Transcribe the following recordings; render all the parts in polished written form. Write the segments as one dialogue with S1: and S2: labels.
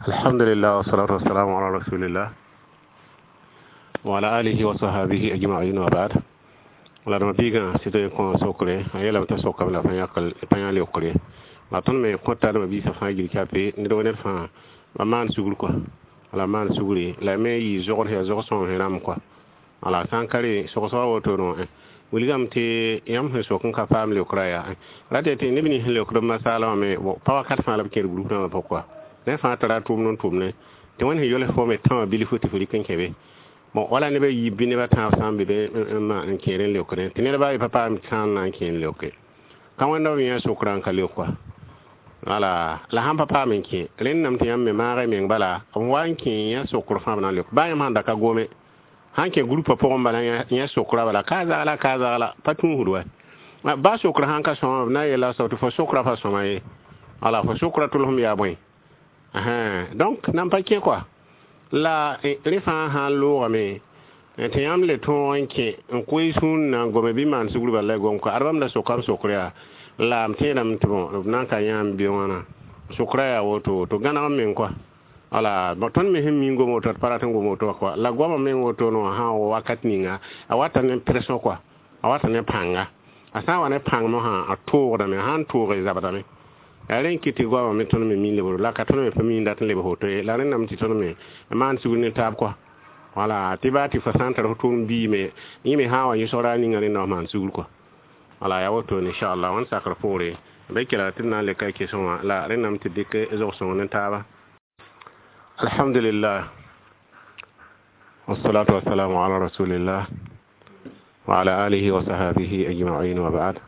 S1: Alhamdulillah, wassalatu wassalamu ala rasulillah wa ala alihi wa sahbihi ajma'in, wa ba'd. La dama biigã sɩd n kõ sokre, a yeelame t'a sokame la pa yã leokre. La tõnd me kõta dama biisã fãa gil kape ned wa ned fãa ba maan sugr kɔa, la maan sugre la me yɩ zogd yaa zog sõng sẽn rãmb kɔa. Wala sã n ka re sogsga wotone wilgame tɩ yãmb sẽn sok n ka paam leokrã yaa rate tɩ neb nins sẽn leokd b masaalã wã me pa wakat fãa la b kẽer group rãmbã pʋg kɔa. Ned fãa tara a tʋʋmd n tʋmne tɩ wẽnd sẽn yols fo me tã wã bilfu tɩ fo rɩk n kẽ be. Bon, wala neb a yiib bɩ neb a tãab sã n be be n kẽer n leokdẽ tɩ ned baa pa paam sã n na n kẽ n leoke ka wẽnda b yã sokrã n ka leok kɔa. Wala la sãn pa paam n kẽ rẽndame tɩ yãmb me maag y meng bala b wa n kẽ yã sokr fãa b na n leok baa yãmb sãn da ka gome sãn kẽ groupa pʋgẽ bala yã sokra bala ka zagla ka zagla pa tũusd wa ba sokr sãn ka sõma b na n yeela soab tɩ fo sokra pa sõma ye, wala fo sokra tʋlsem yaa bõe. Donc nan pa kẽ kɔa la rẽ fãa sã n loogame tɩ yãmb le tõog n kẽ n koe sũur na n gome bɩ maan sugr bala la y gom kɔa ad bãmb la sokam sokr yaa la m tẽedame tɩ bõ b na n ka yãam be wãna sokra yaa woto to gãneg n meng kɔa. Wala tõnd me sẽn mi n gom woto d pa rat n gom woto kɔa la goamã meng woto no sã n wakat ninga a wata ne pression kɔa, a wata ne pãnga, a sã n wa ne pãng mosã a toogdame, a sãn toog zabdame yaa rẽ n kɩt tɩ goamã me tõnd me mi lebg la ka tõnd me pa mi n dat n lebg woto ye. La rẽndame tɩ tõnd me maan sugr ne taab kɔa, wala tɩ baa tɩ fo sã n tar fo tʋʋm biime yẽ me sã n wa yẽsgra a ninga rẽnda f maan sugr kɔa. Wala yaa woto inchallah wãn sakr poore b kelg tɩ d na n le ka kesẽ wã la rẽndame tɩ dɩk zog-sõng ne taaba. Alhamdulillah, wassalatu wassalamu ala rasulillah wa ala alihi wa sahbihi ajma'in, wa ba'd.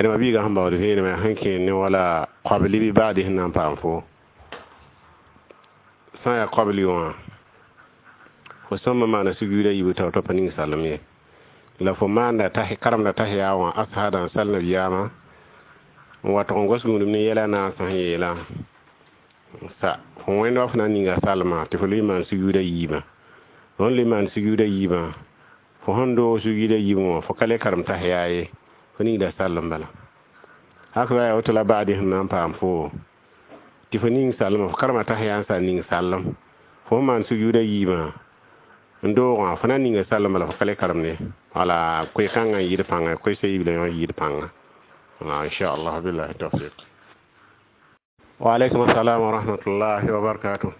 S1: Rẽma biigã sẽn baood vẽenemã sẽn kẽ ne wala qabli bɩ baadi sẽn na n paam fo sã n yaa qabli wã fo sõma maana sujuuda yiib tao tɩ pa ning salem ye la fo maanda karemda tahiya wã ashaada n sal nabiyaamã n wa tʋg n gos gũudum ne yɛla naasã sẽn yeelã sa fo wẽnd wa fo na n ninga salmã tɩ fo lʋɩ maan sujuuda yiibã. Fo sẽn lʋɩ maan sujuuda yiibã, fo sẽn doog sujuuda yiibẽ wã fo ka le karem tahiya ye, fo ningda sall n bala hak yaa woto la baadi sẽn na n paam fo tɩ fo ning salmã fo karema tahiya n sa ning sallem fo sẽn maan sujuuda yiibã n doogã fo na n ninga sall n bala fo ka le karemde. Wala koe-kãngã n yɩɩd pãnga koe-sa yiib la yõ yɩɩd pãnga. Wala inchallah, billahi tawfiq. Wa alaikum assalam wa rahmatullahi wa barakatuh.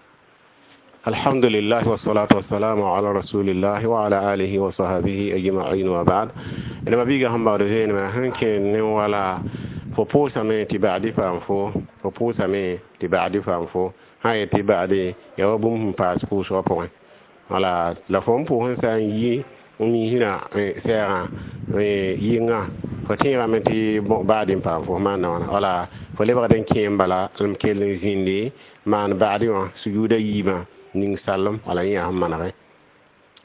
S1: Alhamdulillah, wassalatu wassalamu ala rasulillah wa ala alihi wa sahbihi ajma'in, wa ba'd. Rẽma biigã sẽn baood vẽenemã sẽn kẽ ne wala fo pʋʋsame tɩ ba'di paam fo fo pʋʋsame tɩ ba'di paam fo sã n yet tɩ ba'di yaa wa bũmb sẽn paas pʋʋsgã pʋgẽ. Wala la fo n pʋʋs n sã n yi n misrã sɛɛgã yɩnga fo tẽegame tɩ baadi n paam fo maanda wãna. Wala fo lebgd n kẽ n bala n kell n zĩndi maan baadi wã sujuuda yiibã ning sallem. Wala yẽ yaa sẽn manege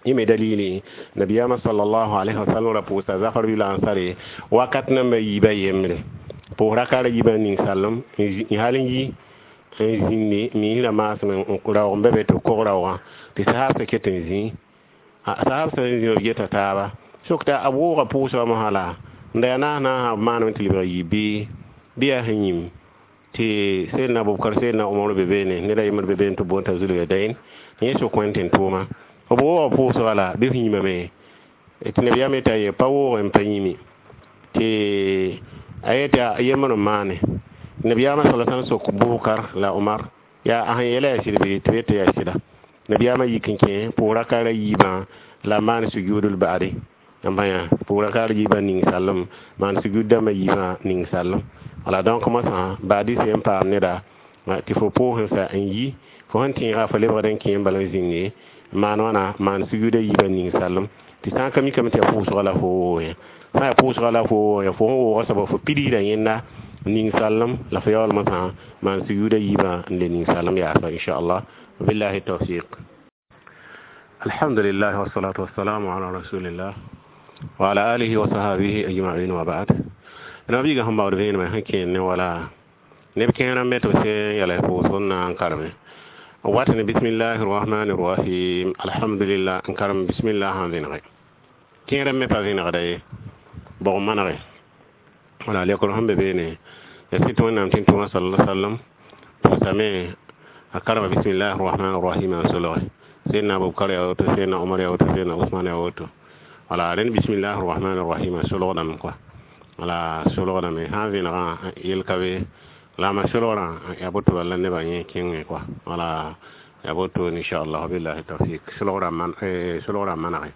S1: yẽ me dalili nabiyaamã sallallahu alaihi wasallam ra pʋʋsa zafar bil ansare wakat namba yiibã yembre pʋʋs raka ra yiibã ning sallem n hal n yi n zĩndi misrã maasem n raoog n be be tɩ b kog raoogã tɩ sahabsã ket n zĩ sahab sã n zĩ b geta taaba sokta a wooga pʋʋsgã mosã la n da yaa naas naasã b maaname tɩ lebg yi bɩ yaa sẽn yĩm tɩ Seydna Abubakar, Seydna Omar be beene ned a yembr be beene tɩ b boond t'a Zulyadayn yẽ sok wẽnd tɩ n tʋʋma b wooga pʋʋsga la bɩ f yĩmame tɩ nabiyaam yeta ye pa woog n pa yĩmi tɩ a yeta yembr n maane. Nabiyaamã sala sãn sok Bubakar la Omar yaa a sẽn yeela yaa sɩd bɩ tɩ b yeta yaa sɩda. Nabiyaamã yik n kẽ pʋʋs raka ra yiibã la maan sujuudul ba'di n bãya pʋʋs raka ra yiibã ning sallem maan sujuud dãmbã yiibã ning sallem. Wala donc mosã baadi sẽn paam neda tɩ fo pʋʋs n sa n yi fo sẽn tẽega fo lebgd n kẽ n bala n zĩnge maan wãna maan sujuuda yiibã ning sallem tɩ sã n ka mikame tɩ yaa pʋʋsga la fo woog yẽ sã n yaa pʋʋsga la fo woog yẽ fo sẽn wooga soaba fo pidsda yẽnda ning sallem la fo yaool mosã maan sujuuda yiibã n le ning sallem yaasa inchallah, billahi tawfiq. Alhamdulillah, wassalatu wassalamu ala rasulillah wa ala alihi wa sahbihi ajma'in, wa ba'd. Rẽma biigã sẽn baood vẽenemã sẽn kẽer ne wala neb kẽer n be tɩ b sẽn yɛl pʋʋsg n na n kareme wat ne bismillahi rrahmani rrahim alhamdulillah n karem bismillah sã n vẽnege kẽer me pa vẽnegda ye bog manege. Wala lekr sẽn be beene ya sɩd tɩ wẽnnaam tɩ n tʋma sala sallam pʋʋsame A karama bismillahir rahmanir rahim n solge. Sẽdna Abubakar yaa woto, sẽdna Omar yaa woto, sẽdna Usman yaa woto. Wala rẽnd bismillahir rahmanir rahim solgdame kɔa. Wala solgdame sã n vẽnegã yel ka be la ma solgrã yaa boto bala la nebã yẽ kẽngẽ kɔa. Wala yaa boto inchallah billahi tawfik solgrã man solgrã manege.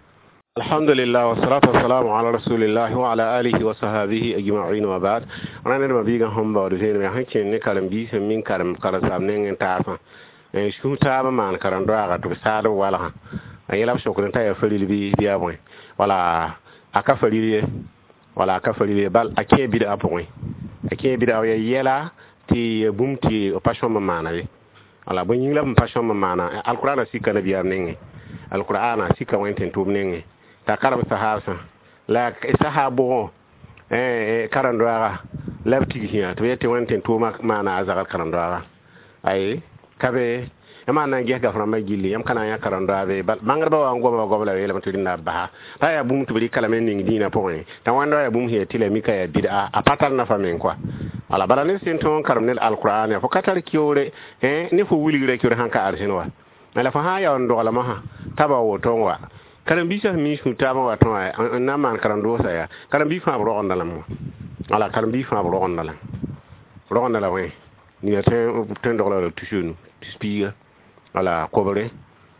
S1: Alhamdulillah wassalatu wassalamu ala rasulillah wa ala alihi wa sahbihi ajma'in wa ba'd. Rãnd ma biigã sẽn baood vẽenem yaa sẽn kẽnd ne karen-biis sẽn min karem karen-saam nengẽ taasã sũ taab n maan karen-doaaga tɩ b saad b walgã a yẽla b sokd t'a yaa faril bɩ yaa bõe. Wala a ka faril ye, wala a ka faril ye, bal a kẽ bid'a pʋgẽ, a kẽ bid'a ya yɛla tɩ bũmb tɩ b pa sõm n maana ye. Wala bõe yĩng la b pa sõm n maana? Alqur'ana sika nabiyaam nengẽ, alqur'ana sika wẽn tɩ tʋʋm nengẽ t'a karem sahaabsã la sahab bʋgõ karen-doaaga la b tigsẽ tɩ b yet tɩ wẽn tɩ tʋʋma maana a zagr karen-doaaga ay ka be yãmb na n ges gaf rãmbã gilli yãmb ka na n yã karen-doaab bal bãngdbã wa n goma goam la yeelame tɩ rẽnda b basa t'a yaa bũmb tɩ b rɩka lame n ning dĩinã pʋgẽ t'a wãnda yaa bũmb sẽn yaa tɩ la mika yaa bid'a a pa tar nafa meng kɔa. Wala bala ned sẽn tõog n karem ned alqur'an yaa fo ka tar kiyoore ne fo wilgra kiyoore sãn ka arsẽn wa la fo sã n yaa n doglmã sã t'a ba woto n wa karen-biisã sẽn mi sũ taabã wa tõa n na n maan karen-doosã yaa karen-biis fãa b rogenda lame wã. Wala karen-biis fãa b rogenda lame, rogenda la wẽ nina tõe n dogla la tus tus piiga wala kobre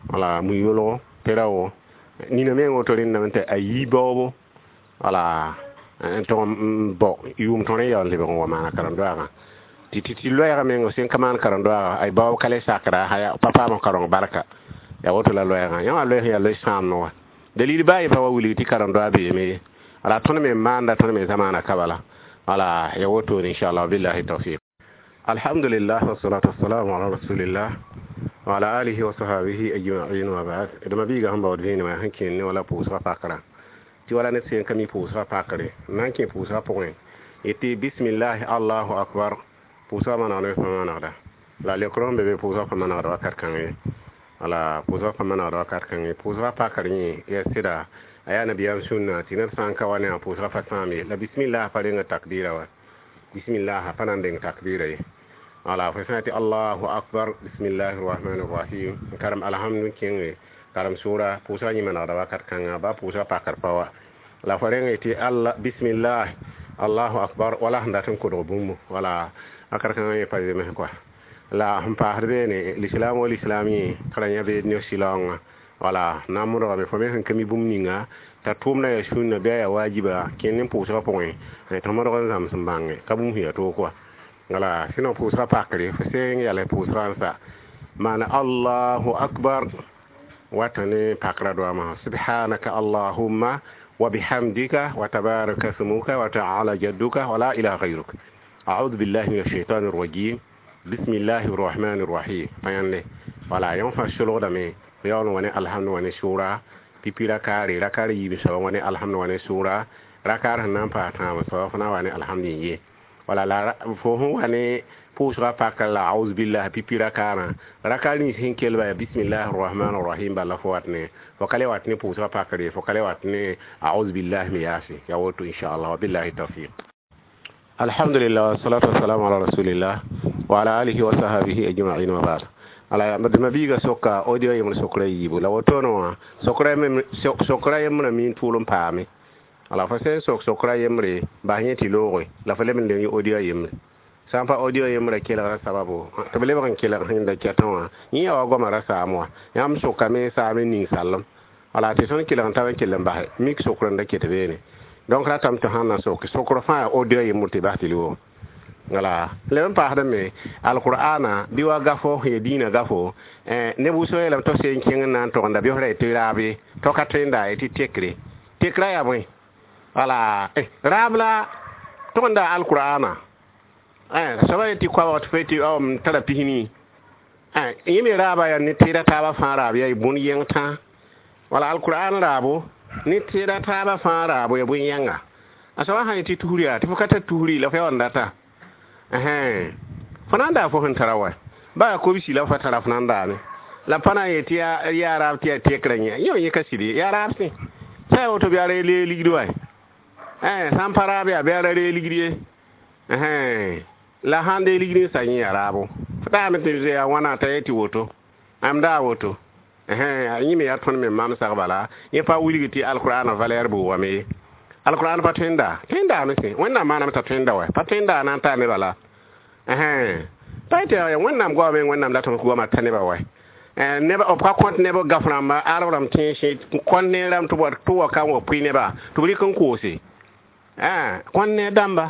S1: wala mu-yolgo pera-wo nina meng woto rẽndame tɩ a yi baoobo wala n tʋg n bao yʋʋm tõr n yaool lebg n wa maana karen-doaagã tɩ tɩ loɛɛgã meng sẽn ka maan karen-doaaga ay baoob ka le sakra pa paam kareng barka yaa woto la loɛɛgã yã wã loɛɛg yaa loe sãamd wã dalil baa pa wa wilg tɩ karen-doa beeme ye. Wala tõnd me maanda tõnd me zamaana ka bala. Wala ya woto inchallah billahi tawfiq. Alhamdulillah wassalatu wassalamu ala rasulillah wa ala alihi wa sahbihi ajma'in wa ba'd. D ma biiga sẽn baood vẽenemã sẽn kẽnd ne wala pʋʋsgã pakrã tɩ wala ned sẽn ka mi pʋʋsgã pakre n na n kẽ pʋʋsgã pʋgẽ yetɩ bismillahi allahu akbar pʋʋsgã manegd me pa manegda la lekrõ sẽn be be pʋʋsgã pa manegda wakat kãng ye. Wala pʋʋsgã pa manegda wakat kãng ye. Pʋʋsgã pakr yẽ yaa sɩda a yaa nabiyaam sũnna tɩ ned sã n ka wa ne a pʋʋsgã pa sãam ye. La bismillah pa reng takbira wa, bismillah pa na n deng takbira ye. Wala fo sã tɩ allahu akbar bismillahir rahmanir rahim n karem alhamdu kẽnge karem sʋʋra pʋʋsgã yẽ manegda wakat kãnga ba pʋʋsgã pakr pa wa. La fo reng tɩ alla bismillah allahu akbar wala sẽn dat n kodg bũmbu wala wakat kãngã yẽ pa zems kɔa. La sẽn paasd beene lislaam wa lislaam yẽ ka ra yã beed ne silaoongã wala na n modgame fo me sẽn ka mi bũmb ninga t'a tʋʋmda yaa sũnna bɩ a yaa waajiba kẽnd ne pʋʋsgã pʋgẽ tɩ f modg n zãms n bãnge ka bũmb sẽn yaa toog kɔa. Wala sẽn pʋʋsgã pakre fo sẽn yals pʋʋsgã n sa maana allahu akbar wata ne pakra doamã subhanaka allahumma wa bihamdika wa tabaraka smuka wa ta'ala jadduka wa la ilaha ghayruk a'udhu billahi minash shaitanir rajim bismillahir rahmanir rahim pa yãnde. Wala yõ fãa solgdame yaool n wa ne alhamd wa ne sʋʋra pipi rakaare rakaar yiib soaba wa ne alhamd wa ne sʋʋra rakaar sẽn na n paas tãab soaba fo na n wa ne alhamd n ye. Wala la fo sẽn wa ne pʋʋsgã pakr la auz billah pipi rakaarã rakaar nins sẽn kelba yaa bismillahir rahmanir rahim bala fo wat ne fo ka le wat ne pʋʋsgã pakre fo ka le wat ne auz billah me yaase yaa woto inchallah wa billahi tawfiq. Alhamdulillah wassalatu wassalamu ala rasulillah wa ala alihi wa sahbihi ajma'in wa ba'd. Ala d ma biiga soka audio yembre sokra yiibu la wotoone wã sokra yembrã mi n tʋʋl n paame. Ala fo sẽn sok sokra yembre bas yẽ tɩ looge la fo leb n leng audio yembre sã n pa audio yembrã kelgra sababu tɩ b lebg n kelg sẽn da kɛtẽ wã yẽ yaa wa goamã ra saam wã yãmb sokame saam n ning sallem wala tɩ tõnd kelg n tab n kell n basɛ mik sokr n da ket beene donc ratame tɩ sãn na sok sokr fãa yaa audio yembr tɩ bas tɩ loog. Wala leb n paasdame alqur'ana bɩ wa gafo sẽn yaa dĩinã gafo neb wʋsg yeelame tɩ b seen kẽng n na n togenda bɩ f ra tɩ raab ye tɩ ka tõe n daa ye tɩ tekre tekrã yaa bõe. Wala raab la togenda alqur'ana soaba ye tɩ koabg tɩ fo tɩ m tara pisni yẽ me raaba yaa ne tẽeda taabã fãa raab yaa bũn yẽng tã. Wala alqur'an raabo ne tẽeda taabã fãa raabo yaa bũn-yẽnga a soaba sã yetɩ tusr yaa tɩ fo ka tar tusri la fo yaa n data fo na n daa fo sẽn tara wa ba yaa kobsi la fa tara fo na n daame la pa na n yetɩ yaa raab tɩ yaa tekrã yẽ yẽ yẽ ka sɩd ye yaa raab sẽ sã yaa woto bɩ a ra lee ligd wa sã n pa raab yaa bɩ a ra ree ligd ye la sãn dee ligd n sa yẽ yaa raabo fo Taame tɩ yaa wãna t'a yetɩ woto am daa woto yẽ me yaa tõnd me mamsg bala yẽ pa wilg tɩ alqur'ana valeur bʋʋgame ye alqur'an pa tõe n daa tõe n daame sẽ wẽnnaam maaname t'a tõe n da wɛ pa tõe n daa na n taa nebã la pa yetɩ wẽnnaam goama me wẽnnaam la tɩ goama ta nebã wɛ neb b ka kõt neb gaf rãmba arab rãmb tẽese kõt ne rãmb tɩ wa ka n wa pʋɩ nebã tɩ b rɩk n koose kõt ne dãmba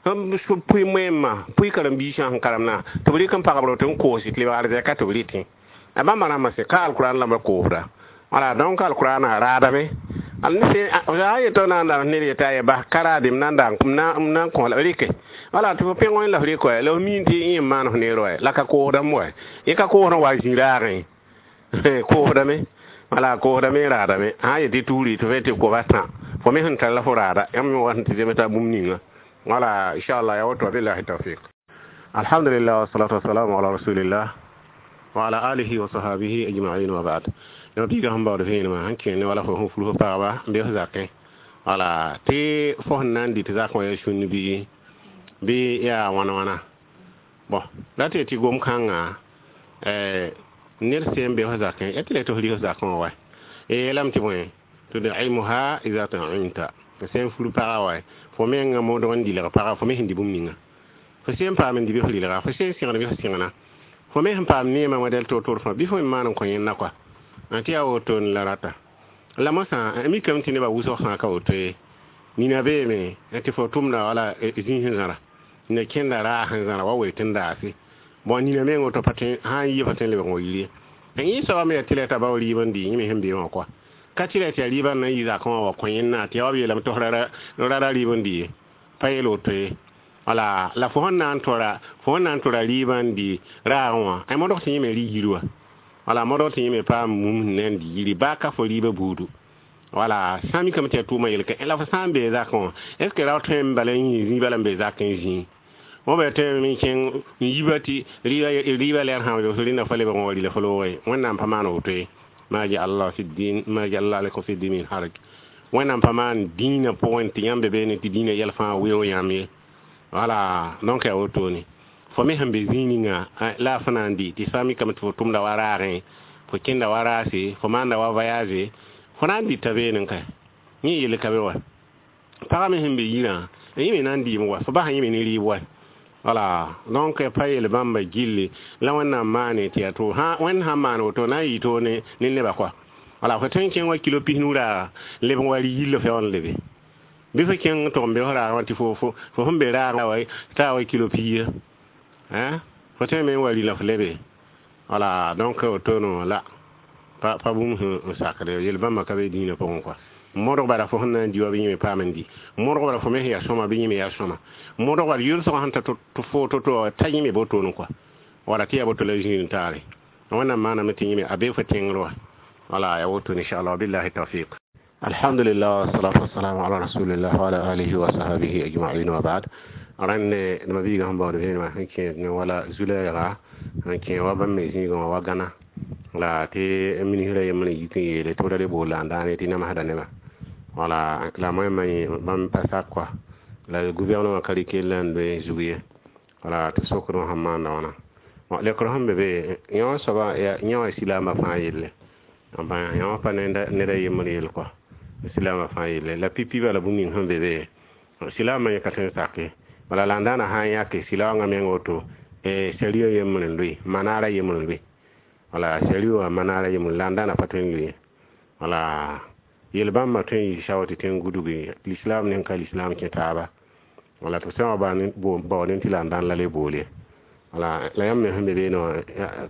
S1: pʋɩ moẽmã pʋɩ karen-biisã sẽn karemdã tɩ b rɩk n pagb roto n koose tɩ lebg arzɛka tɩ b rɩtẽ a bãmba rãmbã sẽ ka alqur'an lamba koosda wala donc alqur'ana raadame a yetɔ na n da ned yeta ye bas ka raadem na n da n na n kõ la rɩke wala tɩ fo pẽg wẽn la f rɩk la f miin tɩ yẽ n maan f neer wɛ la ka koosdame wɛ yẽ ka koosd n wa zĩ-raagẽ koosdame wala koosdame raadame sã n yetɩ tuuri tɩ f tɩ koba tã fo me sẽn tar la fo raada yãmb me wa sẽn tɩ zemsa bũmb ninga wala inchallah ya woto billahi tawfiq alhamdulillah wassalatu wassalamu ala rasulillah wa ala alihi wa sahbihi ajma'in wa ba'd yã biiga sẽn baood vẽenemã sẽn kẽene wala fo sẽn ful fo pagba n be f zakẽ wala tɩ fo sẽn na n dɩ tɩ zakẽ wã yaa sũnn bɩ yaa wãna wãna bɔn la tɩ tɩ gom-kãngã ned sẽn be f zakẽ ya tɩ la tɩ f rɩ f zakẽ wã wa yeelame tɩ bõe tud'imuha idha ta'imta sẽn fur pagã wa fo mengã modg n dɩlg pagã fo me sẽn dɩ bũmb ninga fo sẽn paam n dɩ bɩ f rɩlga fo sẽn sẽgd bɩ f sẽgna fo me sẽn paam neemã modɛl toor-toor fãa bɩ fo me maan n kõ yẽnda kɔa tɩ yaa woto la rata la mosã mikame tɩ nebã wʋsg fãa ka woto ye nina beeme tɩ fo tʋmda wala zĩig sẽn zãra nina kẽnda raag sẽn zãra wa wee tɩ n daase bõn nina meng woto pa tõe sã n yɩ fa tõe n lebg n wa yir ye yẽ soaba me yaa tɩ la t'a bao rɩɩb n dɩ yẽ me sẽn be wã kɔa ka tɩ la tɩ yaa rɩɩbã n na n yɩ zakẽ wã wa kõ yẽnna tɩ yaa wa b yeelame tɩ f rara rɩɩb n dɩ ye pa yeel woto ye wala la fo sẽn na n tora fo sẽn na n tora rɩɩbã n dɩ raagẽ wã a modg tɩ yẽ me rɩ yir wa wala modg tɩ yẽ me paam mum sẽn na n dɩ yiri baa ka fo rɩɩbã buudu wala sã n mikame tɩ yaa tʋʋmã yelka la fo sã n bee zakẽ wã est ce que rao tõe n bala n yĩ zĩig bala n bee zakẽ zĩig wõ bɩ tõe me kẽng n yiba tɩ rɩɩbã lɛɛr sã n rẽnda fa lebg n wa rɩla fo loogẽ wẽnnaam pa maan woto ye ma ja'ala Allah fi din ma ja'ala alaykum fi din min haraj wẽnnaam pa maan dĩinã pʋgẽ tɩ yãmb be beene tɩ dĩinã yɛl fãa weoog yãmb ye wala donc yaa wotone fo me sẽn be zĩig ninga la a fo na n dɩ tɩ sã n mikame tɩ fo tʋmda wa raagẽ fo kẽnda wa raase fo maanda wa voyage fo na n dɩta beene ka yẽ yel ka be wa pagã me sẽn be yirã yẽ me na n dɩɩm wa fo basã yẽ me ne rɩɩb wa wala donc pa yel bãmba gilli la wẽnnaam maane tɩ yaa to wẽnd sãn maan woto na n yɩ to ne nebã kɔa wala fo tõe n kẽng wa kilo 90 raaga leb n wa rɩ yill f yaa n lebe bɩ fo kẽng tʋg n be f raag wã tɩ fo sẽn be raag taa wa kilo 100 fo tõe me n wa rɩ la f lebe wala donc wotono la pa bũmb sẽn sakde yel bãmba ka be dĩinã pʋgẽ kɔa modg bara fo sẽn na n dɩ wa bɩ yẽ me paam n dɩ modg bara fo me sẽn yaa sõma bɩ yẽ me yaa sõma modg bara yʋlsgã sẽn ta tɩ fo to-to t'a yẽ me botone kɔa wala tɩ yaa boto la zĩig taare wẽnnaam maaname tɩ yẽ me a bee fo tẽngr wa wala ya wotone inchallah billahi tawfiq alhamdulillah wassalatu wassalamu ala rasulillah wa ala alihi wa sahbihi ajma'in wa ba'd rãnd nema biiga sẽn baood vẽenemã sẽn kẽed ne wala zu-lɛɛga sẽn kẽ wa bãmb me zĩigã wã wa gãna la tɩ ministrã yembr n yik n yeele tɩ b ra le bool la n daane tɩ namsda nebã wala la moẽmã bãmb pa sak kɔa la gouvernement ka rɩk yella n loe zug ye wala tɩ sokd wã sẽn maanda wãna lekr sẽn be be yẽ wã soaba yẽ wã silaambã fãa yelle yẽ wã pa ned a yembr yell kɔa silaambã fãa yelle la pipi bala bũmb ning sẽn be be silaambã yẽ ka tõe n sake bala la n daana sã n yãke silaoongã meng woto sariya yembr n loe manaara yembr n loe wala sariya wã manaara yembr la n daana pa tõe n loe wala yel bãmba tõe n yɩ sao tɩ tẽng gudgi l'islam ne ka l'islam kẽ taaba wala tɩ sã wa baood tɩ la n dãn la le boole wala la yãmb me sẽn be beene wã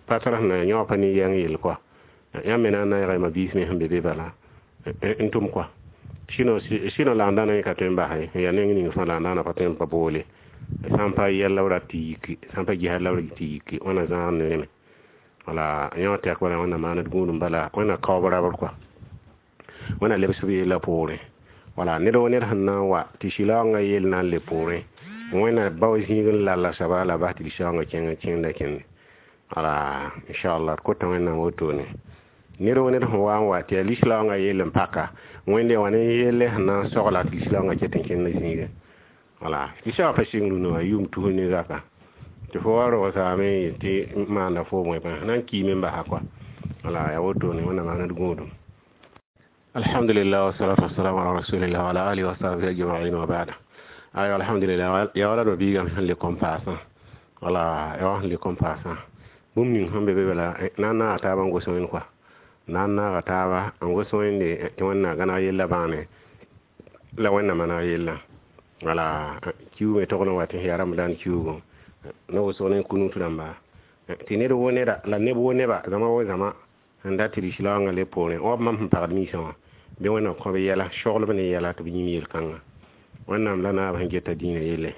S1: pa tar sẽn na yã wã pa ne yɛng yell kɔa yãmb me na n naagã ma biis me sẽn be be bala n tʋm kɔa sɩno la n dãna yẽ ka tõe n bas ye yaa neng ning fãa la n daana pa tõe n pa boole sã n pa yɛl la b rat tɩ yiki sã n pa ges la b tɩ yiki wãna zãag ne rẽme wala yã wã tɛk bala wẽnnaam maand gũudum bala wẽnna kaoob rabr kɔa wẽnna lebs b yella poorẽ wala ned wa ned sẽn na n wa tɩ sɩlaoongã yell na n le poorẽ wẽnna bao zĩig n lalla soaba la bas tɩ lisaoongã kẽng kẽnda kẽnde wala inchallah d kota wẽnnaam wotone ned wa ned sẽn wa n wa tɩ yaa lislaoongã yell n paka wẽnde wã ne yelle sẽn na n sogla tɩ lislaoongã ket n kẽnd zĩigẽ wala lisaoongã pa sɩng rũnã wã yʋʋm tus ne zaka Tɩ fo wa rogsame tɩ maanda fo bõe pãa na n kiime n basa kɔa. Wala ya wotone wẽnnaam maana d gũudum. Alhamdulillah wassalatu wassalamu ala rasulillah wa ala alihi wa sahbihi ajma'in wa ba'da. Ayo, alhamdulillah, ya wala do biigame sẽn le kom paasã. Wala ya wa sẽn le kom paasã bũmb ning sẽn be be bala na n naaga taaba n gos wẽnd kɔa, na n naaga taaba n gos wẽnde tɩ wẽnnaam gãneg yella bãane la wẽnnaam maneg yella. Wala kiuug me togl n wa tɩ yaa ramadan kiuugu ne wʋsg ne kunut rãmba tɩ ned wo neda la neb wo neba zãma wo zãma sẽn dat tɩ lislaoongã le poorẽ wa b mam sẽn pagd miisã wã bɩ wẽnnaam kõ b yɛla soglb ne yɛla tɩ b yĩm yel-kãnga. Wẽnnaam la naab sẽn geta dĩinã yelle,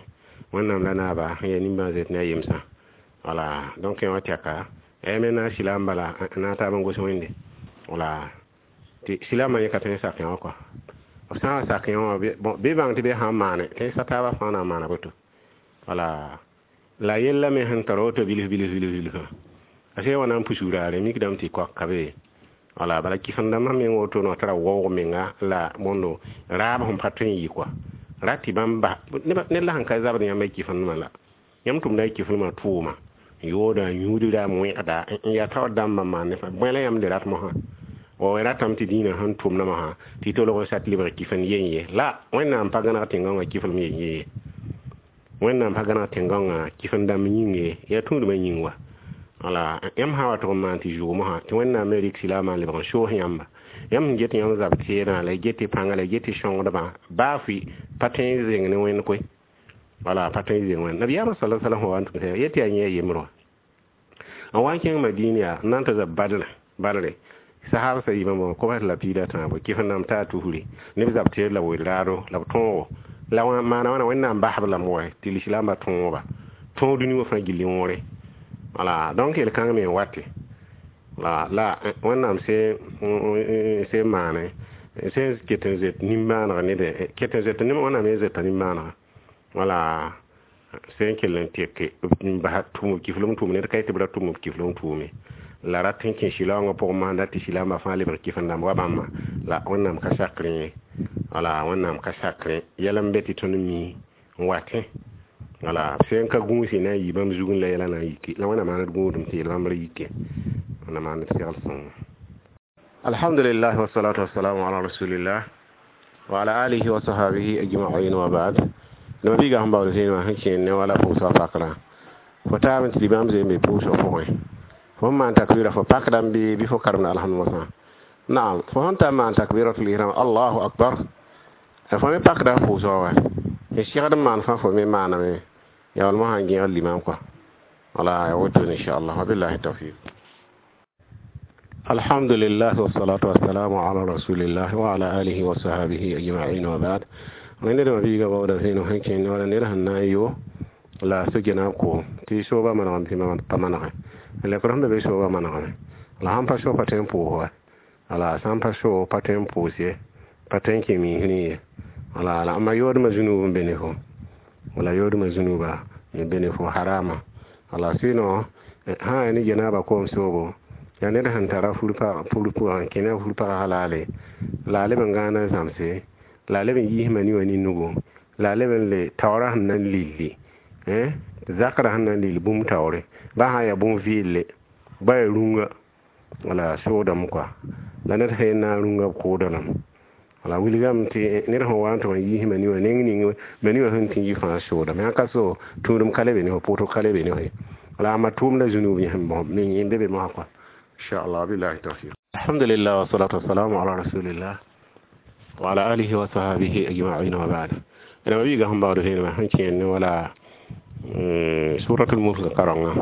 S1: wẽnnaam la naaba sẽn yaa nimbãan-zoet ne a yemsã. Wala donc yã wa tɛka me na silaam bala na taab n gos wẽnde. Wala tɩ silaamã yẽ ka tõe n sak yã wã kɔa. B sã n sak yã wã bɩ bãng tɩ bɩ sã n maane tɩ sa taabã fãa na n maana boto. Wala la yella me sẽn tar woto bilf bilf bilf bilfã a sẽn wa na n pus raare mikdame tɩ koak ka be. Wala bala kɩsem-dãmbã meng woto no tara waoog menga la bõndo raab sẽn pa tõe n yɩ kɔa rat tɩ bãmb bas ned la sẽn ka zabd yãmb y kɩfendmã la yãmb tʋmda y kɩfendmã tʋʋma yooda yũudra wẽgda n yaa taoor dãmbã maan ne bõe la yãmb le rat mosã wa ratame tɩ dĩinã sẽn tʋmda mosã tɩ tolg n sat lebg kɩfend yen ye la wẽnnaam pa gãneg tẽn-gãongã kɩflem yen ye ye, wẽnnaam pa gãneg tẽn-gãongã kɩfend dãmb yĩng ye, yaa tũudmã yĩng wa. Wala yãmb sã wa tʋg n maan tɩ zʋʋg mosã tɩ wẽnnaam me rɩk silaamã n lebg n soos yãmba. Yãmb sẽn get yãmb zab teedã la y get y pãnga la y get y sõngdbã baa fʋɩ pa tõe n zeng ne wẽnd koe. Wala pa tõe n zeng wẽnd nabiyaamã sala salam wa n tʋm yetɩ yaa yẽ a yembr wã n wa n kẽng madin yaa n na n tɩ zab badr badre sahab sa yibã bõ kobs la piida tãabo kɩf-dãmb taa tusri neb zab teed la weel raado la b tõogo la maana wãna wẽnnaam basb lame wa tɩ lislaambã tõoba tõog dũni wã fãa gilli wõore. Wala donc yel-kãng me n wate la la wẽnnaam sẽn maane sẽn ket n zoet nimbãaneg ned ket n zoet wẽnnaam ye zoeta nimbãanega. Wala sẽn kell n teke n basa tʋʋm kiflem tʋʋm ned ka yetɩ b ra tʋm b kiflem tʋʋme la rat n kẽ silaoongã pʋgẽ maanda tɩ silaambã fãa lebg kɩf-dãmb wa bãmba la wẽnnaam ka sakrẽ ye. Wala wẽnnaam ka sakrẽ yɛl n be tɩ tõnd mi n watẽ. Wala sẽn ka gũusi na n yɩ bãmb zugẽ la yɛla na n yike la wẽnnaam maan d gũudum tɩ yel bãmb ra yike wẽnnaam maan d segl sõngo. Alhamdulillah wassalatu wassalamu ala rasulillah wa ala alihi wa sahbihi ajma'in wa ba'd. Neba biiga sẽn baood zẽen wã sẽn kẽen ne wala pʋʋsgã pakrã fo taab n tɩ bãmb zeem be pʋʋsg pʋgẽ fo sẽn maan takbira fo pakdame bɩ fo karemda alhamd mosã. Naam, fo sẽn ta maan takbiratul ihram allahu akbar fo me pakda pʋʋsgã wa n segd n maan fãa fo me maaname ya wal mosã n gẽgd limam kɔa. Wala ya wotone inchallah wa billahi tawfiq. Alhamdulillah wassalatu wassalamu ala rasulillah wa ala alihi wa sahbihi ajma'in wa ba'd. Wẽnd dẽma biiga baooda zẽeno sẽn kẽnd wala ned sẽn na n yo la so-gena koom tɩ sooba manegame tɩ pa manegẽ lekr sẽn be be sooba manegame la sãn pa so pa tõe n pʋʋs wa wala sãn pa so pa tõe n pʋʋs ye pa tõe n kẽ miisrẽ ye. Wala la ama yoodmã zũnub n be ne fo wala yoodmã zũnuba n be ne fo harama. Wala sɩno sã yaa ne genaaba koom soobo yaa ned sẽn tara fur pʋgã n kẽ ne a fur pagã laale la a leb n gãana zãmse la a leb n yiis mani wã ne nugu la a leb n le taoorã sẽn na n lilli zakra sẽn na n lill bũmb taoore ba sã n yaa bũmb vɩɩlle ba yaa rũnga wala soodame kɔa la ned sẽn na n rũnga b kʋʋda lame. Wala wilgame tɩ ned sẽn wa n tʋg n yiis mani wã neng ning mani wã sẽn tɩ n yɩ fãa soodame sãn ka so tũudem ka le be ne fo pʋʋsg ka le be ne fo ye. Wala amma tʋʋmda zũnub yẽ n be be mosã kɔa inchallah billahi tawfiq. Alhamdulillah wassalatu wassalamu ala rasulillah wa ala alihi wa sahbihi ajma'in wa ba'd. Ẽna biiga sẽn baood zẽenema sẽn kẽen ne wala suratul mulk karõngã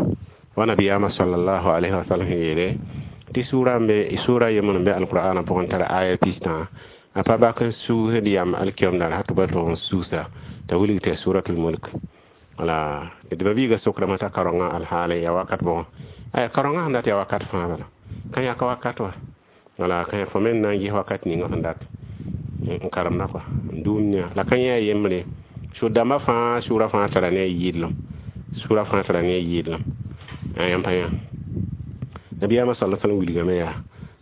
S1: wa nabiyaamã sallallahu alaihi wa sallam sẽn yeele tɩ sura n be sura yembr n be alqur'ana pʋgẽ tara aya pistã a pa bak n suusd yam alkiom dar tɩ ba tʋg n suusa t'a wilg tɩ suratul mulk. Wala d ba biiga sokrame t'a karõngã alhaale yaa wakat bʋgẽ aya karõngã sẽn dat yaa wakat fãa bala ka yãk wakat wa wala ka fo me n na n ges wakat ninga sẽn dat n karemda kɔa n dũniyã la ka yẽ a yembre sũ-dãmbã fãa sʋʋra fãa tara ne a yɩɩdlem sʋra fãa tara ne a yɩɩdlem yãmb pa yã nabiyaamã sala sallam wilgame yaa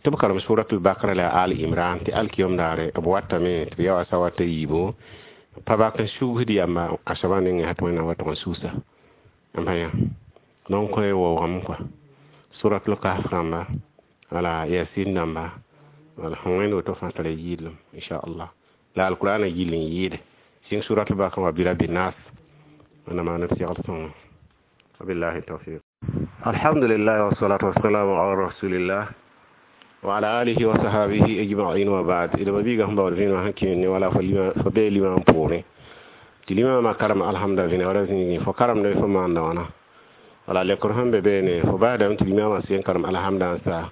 S1: tɩ b karem suratul bakra la al imran tɩ alkiyom daare b watame tɩ b yaa wa sa wata yiibo pa bak n sugsd yamba a soabã nengẽ tɩ wẽnnaam wa tʋg n suusa. N pa yã donc koe waoogame kɔa suratul kahf rãmba, wala yasin dãmba, wala sẽn wẽnd woto fãa tara yɩɩdlem, inchallah. La alkurana gill n yɩɩde sɩng suratul bakara wa birabi nas. Wẽnnaam maan d segl sõngo. Wabillahi tawfiq. Alhamdulillah, wassalatu wassalamu ala rasulillah wa ala alihi wa sahabihi ajma'in, wa ba'd. Ida mabiga sẽn baood vẽenemã sẽn kẽ ne wala fo bee limam poorẽ tɩ limamã karem alhamda vẽne wala zĩigẽ fo karemda fo maanda wãna, wala lekr sẽn be beene fo baasdame tɩ limamã sen karem alhamda n saa,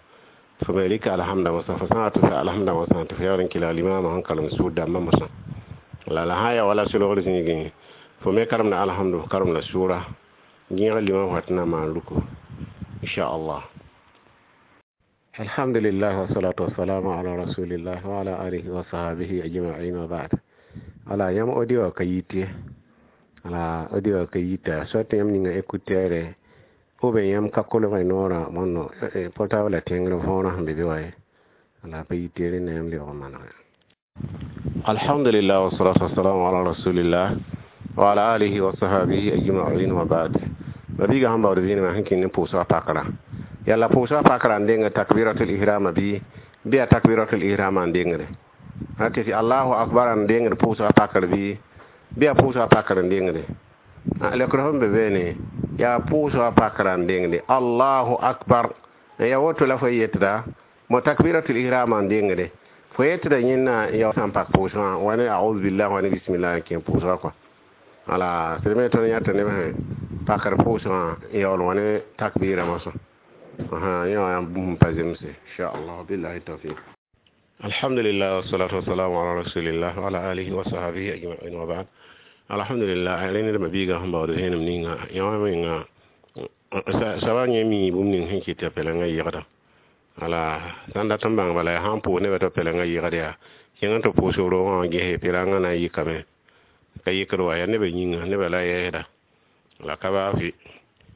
S1: tɩ fo me rɩka alhamda mosã, fo sã n wa tɩ sa alhamda mosã, tɩ fo yaool n kelg limamã sẽn karem sʋʋd dãmbã mosã. Wala la sã n ya wala solgr zĩigẽ, fo me karemda alhamdu, fo karemda sʋʋra gẽeg limam fo tɩ na maan ruku, inchallah. Alhamdulillah, wassalatu wassalamu ala rasulillah wa ala alihi wa sahabihi ajma'in, wa ba'd. Ala yãmb audio ka yit ye, ala audio ka yita, soit yãmb ninga écouteur ou bien yãmb ka kolg noorã bõndo portable tẽngr võorã sẽn be be wa ye, ala pa yit ye, rẽnda yãmb lebg n manege. Alhamdulillah, wassalatu wassalamu ala rasulillah wa ala alihi wa sahabihi ajma'in, wa ba'd. Mabiiga sẽn baood vẽenemã sẽn kẽnd ne pʋʋsga pakra, yalla pʋʋsga pakra n deng takbiratul ihrama bɩ a takbiratul ihrama n dengde a tɩ allahu akbar n dengd pʋʋsga pakr bɩ a pʋʋsga pakr n dengde. Lekr sẽn be beene yaa pʋʋsga pakra n dengde allahu akbar, ya woto la fo yetda mo takbiratul ihrama n dengde fo yetda yẽnna ya sãn pak pʋʋsgã wa ne auzu billah wa ne bismillah n kẽ pʋʋsga kɔa. Ala sẽd me tõnd yãta neb sẽn pakr pʋʋsgã yaool wa ne takbira mosã yẽ wã bũmb pa zemse, inchallah. Billahi tawfiq. Alhamdulillah, wassalatu wassalamu ala rasulillah wa ala alihi wa sahbihi ajma'in, wa ba'd. Alhamdulillah, rẽnd mabiiga sẽn baood vẽenem ninga yã menga soaba yẽ mi bũmb ning sẽn kɩt tɩ pɛlengã yegda. Ala sãn dat n bãng bala yaa sãn pʋʋs nebã tɩ pɛlengã yegd yaa kẽng n tɩ pʋʋs roogã wã gese pɩrangã na n yikame ka yikd wa yaa nebã yĩnga nebã la yɛɛsda la ka baa fɩ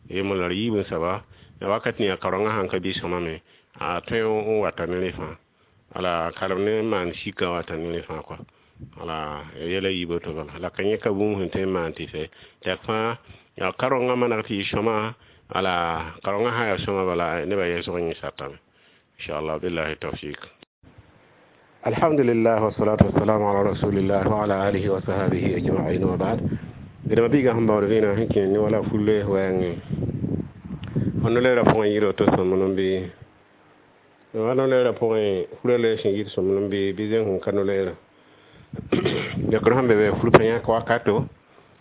S1: yembr la d yiib n soaba ya wakat ninga kaorengã sãn ka bɩ sõma me a tõe n wata ne rẽ fãa, ala kalem ne n maan sika wata ne rẽ fãa kɔa. Ala yɛla yiib to bala la ka yẽ ka bũmb sẽn tõe n maan tɩ fɛ tɩ fãa yaa kaorengã maneg tɩ yɩ sõma. Ala kaorengã sã n yaa sõma bala nebã yɛsg yẽ satame, inchallah. Billahi tawfik. Alhamdulillah, wassalatu wassalamu ala rasulillah wa ala alihi wa sahbihi ajma'in, wa ba'd. Dẽma biiga sẽn baood vẽenegã sẽn kẽ ne wala fulle wɛɛngẽ fo no-loeerã pʋgẽ yɩɩd woto sõmblem bɩ wa no-loeerã pʋgẽ fura loeer sẽn yɩɩd sõmblem bɩ zẽng sẽn ka no-loeerã lekr sẽn be be fur pa yãk wakato,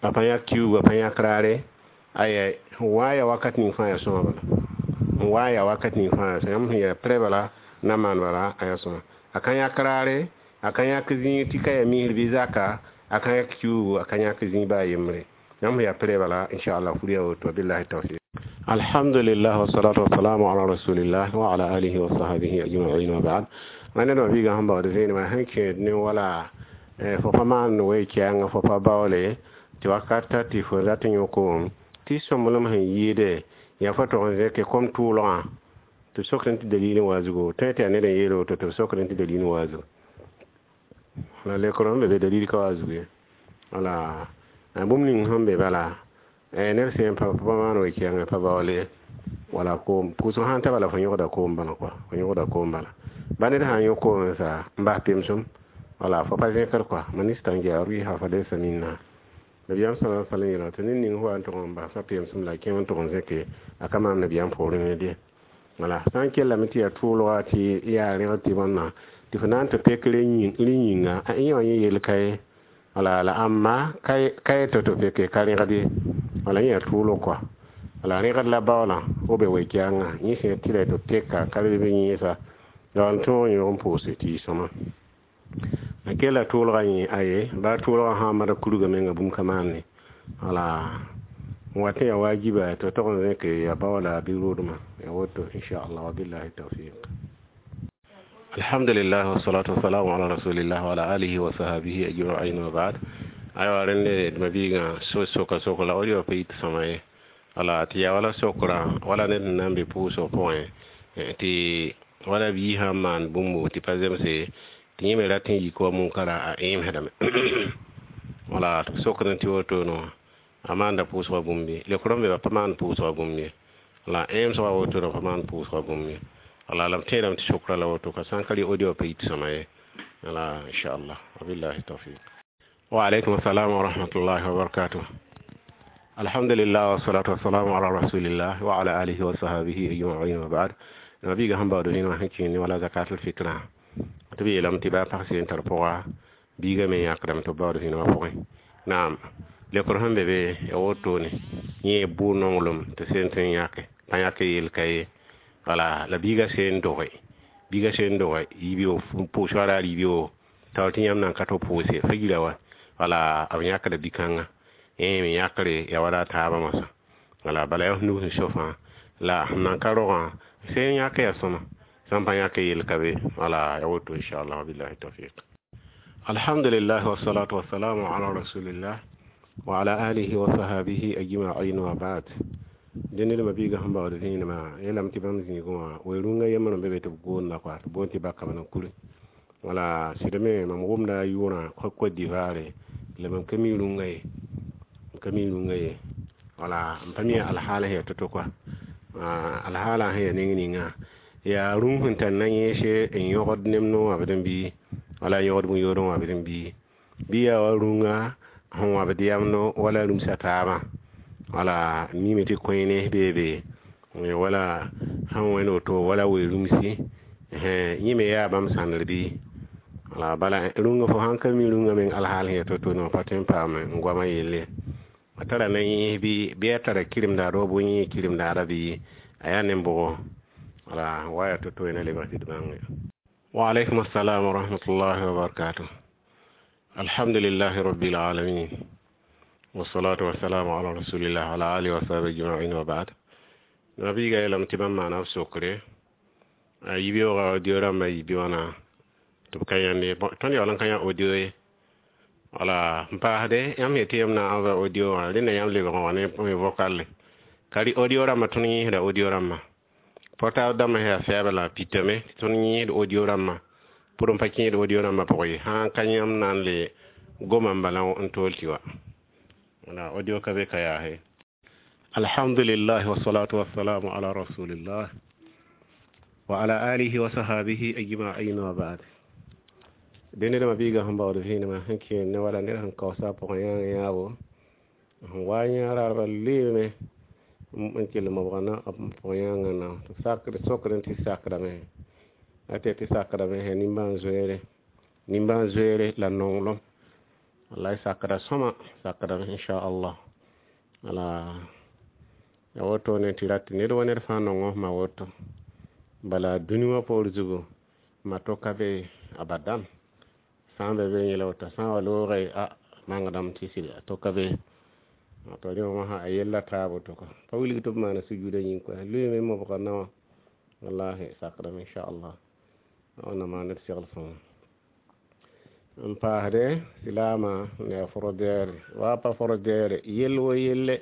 S1: a pa yãk kiuugu, a pa yãk raare aya wa ya wakat ning fãa ya sõma bala, n wa ya wakat ning fãa ya sõma. Yãmb sẽn ya prɛ bala na maan bala a ya sõma, a ka yãk raare, a ka yãk zĩig tɩ ka ya misr bɩ zaka, a ka yãk kiuugu, a ka yãk zĩig baa yembre. Yãmb sẽn ya prɛ bala, inchallah, fur ya woto. Billahi tawfiq. Alhamdulillah, wassalatu wassalamu ala rasulillah wa ala alihi wa sahbihi ajma'in, wa ba'd. Wẽnnaam biiga sẽn baood vẽenemã sẽn kẽed ne wala fo pa maan we-kɛɛngã fo pa baoole tɩ wakat tɩ fo rat n yõk tɩ sõmblem sẽn yɩɩde yaa fo tog n zẽke kom tʋʋlgã tɩ b sokd tɩ dalil n wa zugu tõe tɩ yaa ned n yeel woto tɩ b sokd tɩ dalil n wa zugu la lekr sẽn be be dalil ka wa zugu ye. Wala bũmb ning sẽn be bala ned sẽn pa pa maan we-kɛɛngã pa baoole wala koom pʋʋsg sãn ta bala fo yõgda koom bala kɔa, fo yõgda koom bala ba ned sã n yõ koom n sa n bas pemsem wala fo pa zẽkr kɔa man istangia rɩɩsa fa laysa minna. Nabiyaam sala sallam yeela tɩ ned ning fo wa n tʋg n basa pemsem la a kẽng n tʋg n zẽke a ka maam nabiyaam poorẽ ne de. Wala sã n kellame tɩ yaa tʋʋlga tɩ yaa rẽgd tɩ bõnna tɩ fo na n tɩ pek rẽ yĩnga a yẽ wã yẽ yel ka ye, wala la ãmba ka ye tɩ peke ka rẽgd ye, wala yẽ yaa tʋʋlg kɔa, wala rẽgd la baoolã b be we-kɛɛngã yẽ sẽn tɩ la tɩ peka ka leb yẽesa la n tõog n yõg n pʋʋse tɩ yɩ sõma. A kella tʋʋlga yẽ aye baa tʋʋlgã sã n mad kurga menga bũmb ka maane wala n wat n yaa wajiba tɩ tog n zẽke ya baoola bɩ rʋʋdmã ya woto, inchallah. Wa billahi tawfiq. Alhamdulillah, wassalatu wassalamu ala rasulillah wa ala alihi wa sahbihi ajma'in, wa ba'd. Aywa rẽnde d mabiigã so soka sok la audio pa yit sõma ye, wala tɩ yaa wala sokra wala ned n na n be pʋʋsg pʋgẽ tɩ wala bii sãn maan bũmbo tɩ pa zemse tɩ yẽ me rat n yik wa munkara a ẽemsdame, wala tɩ b sokd tɩ woto no A maanda pʋʋsgã bũmb ye. Leokr n be pa maan pʋʋsgã bũmb ye. La ẽemsgã woto pa maan pʋʋsgã bũmb ye. Wala la m tẽedame tɩ sokra la woto ka sã n ka rɩ audio pa yit sõma ye. Wala inchallah, wabillahi tawfiq. Wa alaikum assalam wa rahmatullahi wa barakatuh. Alhamdulillah, wassalatu wassalamu ala rasulillah wa ala alihi wa sahbihi ajma'in, wa ba'd. Nabiga sẽn baood vẽenemã sẽn kẽng ne wala zakatul fitrã tɩ b yeelame tɩ baa pag seen tar pʋga biiga me yãkdame tɩ b baood vẽenemã pʋgẽ. Naam, leokr sẽn be be ya wotone yẽ bʋ nonglem tɩ seen tõe n yãke pa yãk yel ka ye. Wala la biiga seen doge, biiga seen doge yiibeo pʋʋs wa raar yiibeo taoor tɩ yãmb nan ka tɩ pʋʋse fa yira wa. Wala b yãkda bi-kãngã yẽ me yãkre ya wala taabã moasã. Wala bala yaa f nus n so fãa la sẽn nan ka rogã sẽn yãk yaa sõma sãn pa yãk yel ka be. Wala ya woto inchallah, wabillahi tawfiq. Alhamdulillah, wassalatu wassalamu ala rasulillah wa ala alihi wa sahbihi ajma'in, wa ba'd. Dẽnd d mabiiga sẽn baood vẽenemã yeelame tɩ bãmb zĩigẽ wã we-rũngã yembr n be be tɩ b goonda koa tɩ boond tɩ bakame n kuri. Wala sɩd me mam wʋmda a yʋʋrã Côte d'Ivoire la mam ka mi rũngã ye, m ka mi rũngã ye. Wala m pa mi alhaala sẽn yaa to-to koa alhaala sẽn yaa neng ninga yaa rũng sẽn tar na yẽese n yõgd nemd n wãbd n bɩ wala yõgd bũn-yood n wãbd n bɩ yaa wa rũngã sẽn wãbd yamdo wala rũmsa taabã. Wala mime tɩ koẽne beebe wala sẽn wẽnd woto wala we-rũmsi yẽ me yaa bãmb sãndr bɩ. Wala bala rũngã fo sãn ka mi rũngã meng alhaal sẽn yaa to-to ne pa tõe n paam n goamã yelle a tara na yẽes bɩ a tara kɩremdaad wa bʋ yẽ kɩremdaada bɩ a yaa nem-bʋgo. Wala wa yaa to-to na lebg tɩ d bãnge. Wa alaikum assalam wa rahmatullahi wa barakatuh. Alhamdulillahi rabbil alamin, wassalatu wassalamu ala rasulillah wa ala alihi wa sahbihi ajma'in, wa ba'd. Nabiga yeelame tɩ bãmb maana b sokre a yibeoogã audio rãmbã yibe wãna tɩ b ka yãnd ye. Tõnd yaool n ka yã audio ye. Wala n paasde yãmb yetɩ yãmb na n envoyer audio wã rẽnda yãmb lebg n wa ne vocal ka rɩ audio rãmbã. Tõnd yẽesda audio rãmbã portable dãmbã sẽn yaa fɛɛbã la pitame tɩ tõnd yẽesd audio rãmbã pʋr n pa kẽed audio rãmbã pʋgẽ ye sã n ka yãmb na n le goma n bala n tool tɩ wa. Wala audio ka be ka yaase. Alhamdulillah, wassalatu wassalamu ala rasulillah wa ala alihi wa sahbihi ajma'in, wa ba'd. Dẽnd d mabiiga sẽn baood vẽenemã sẽn kẽer ne wala ned sẽn kaoosa pʋgẽ yãag yãabo sẽn wa yã raadbã leeme n kell mobga na pʋgẽ yãangã na tɩ sakd sokd tɩ sakdame a tɩ tɩ sakdame sã nimbãan-zoeere, nimbãan-zoeere la nonglem. Wallahi sakda sõma sakdame inchallah. Wala ya wotone tɩ rat ned wa ned fãa nong f ma woto bala dũni wã poor zugu ma to ka be abadan sã n be be yẽla woto sã n wa loogã a mangdame tɩ sɩd a to ka be to rẽ wã a yella taab woto kɔ pa wilg tɩ b maana sujuudã yĩng koa loeeme mobga naowã. Wallahi sakdame inchallah wẽnnaam maan d segl sõma. N paasde silaamã n yaa frodɛɛre wa pa frodɛɛre yell wo yelle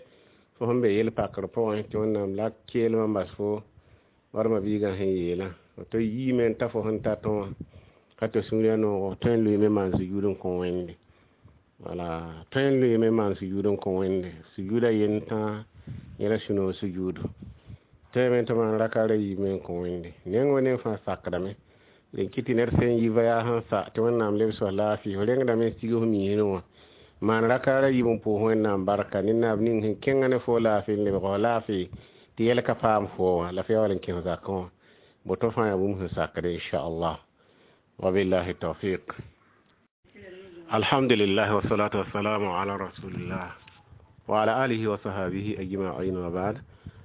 S1: fo sẽn be yel pakr pʋgẽ tɩ wẽnnaam la keelmã n bas fo warma biigã sẽn yeelã tɩ yiime n ta fo sẽn tat wã ka tɩ sũurã noogo tõe n loeeme maan sujuud n kõ Wẽnde. Wala tõe n loeeme maan sujuud n kõ Wẽnde sujuudã yend tãa yẽla sũ-noog sujuudu tõeme tɩ maan raka ra yiime n kõ Wẽnde neng wa neng fãa sakdame n kɩ tɩ ned sẽn yi voyage sẽn sa tɩ Wẽnnaam lebs f laafɩ f rengdame n sig f miisẽ wã maan raka ra yiib n pʋʋs Wẽnnaam barka ne naab ning sẽn kẽngã ne fo laafɩ n lebg f laafɩ tɩ yɛl ka paam fo wã la f yaool n kẽs zakẽ wã boto fãa yaa bũmb sẽn sakde inchallah, wabillahi tawfiq. Alhamdulillah, wassalatu wassalamu ala rasulillah wa ala alihi wa sahbihi ajma'in, wa ba'd.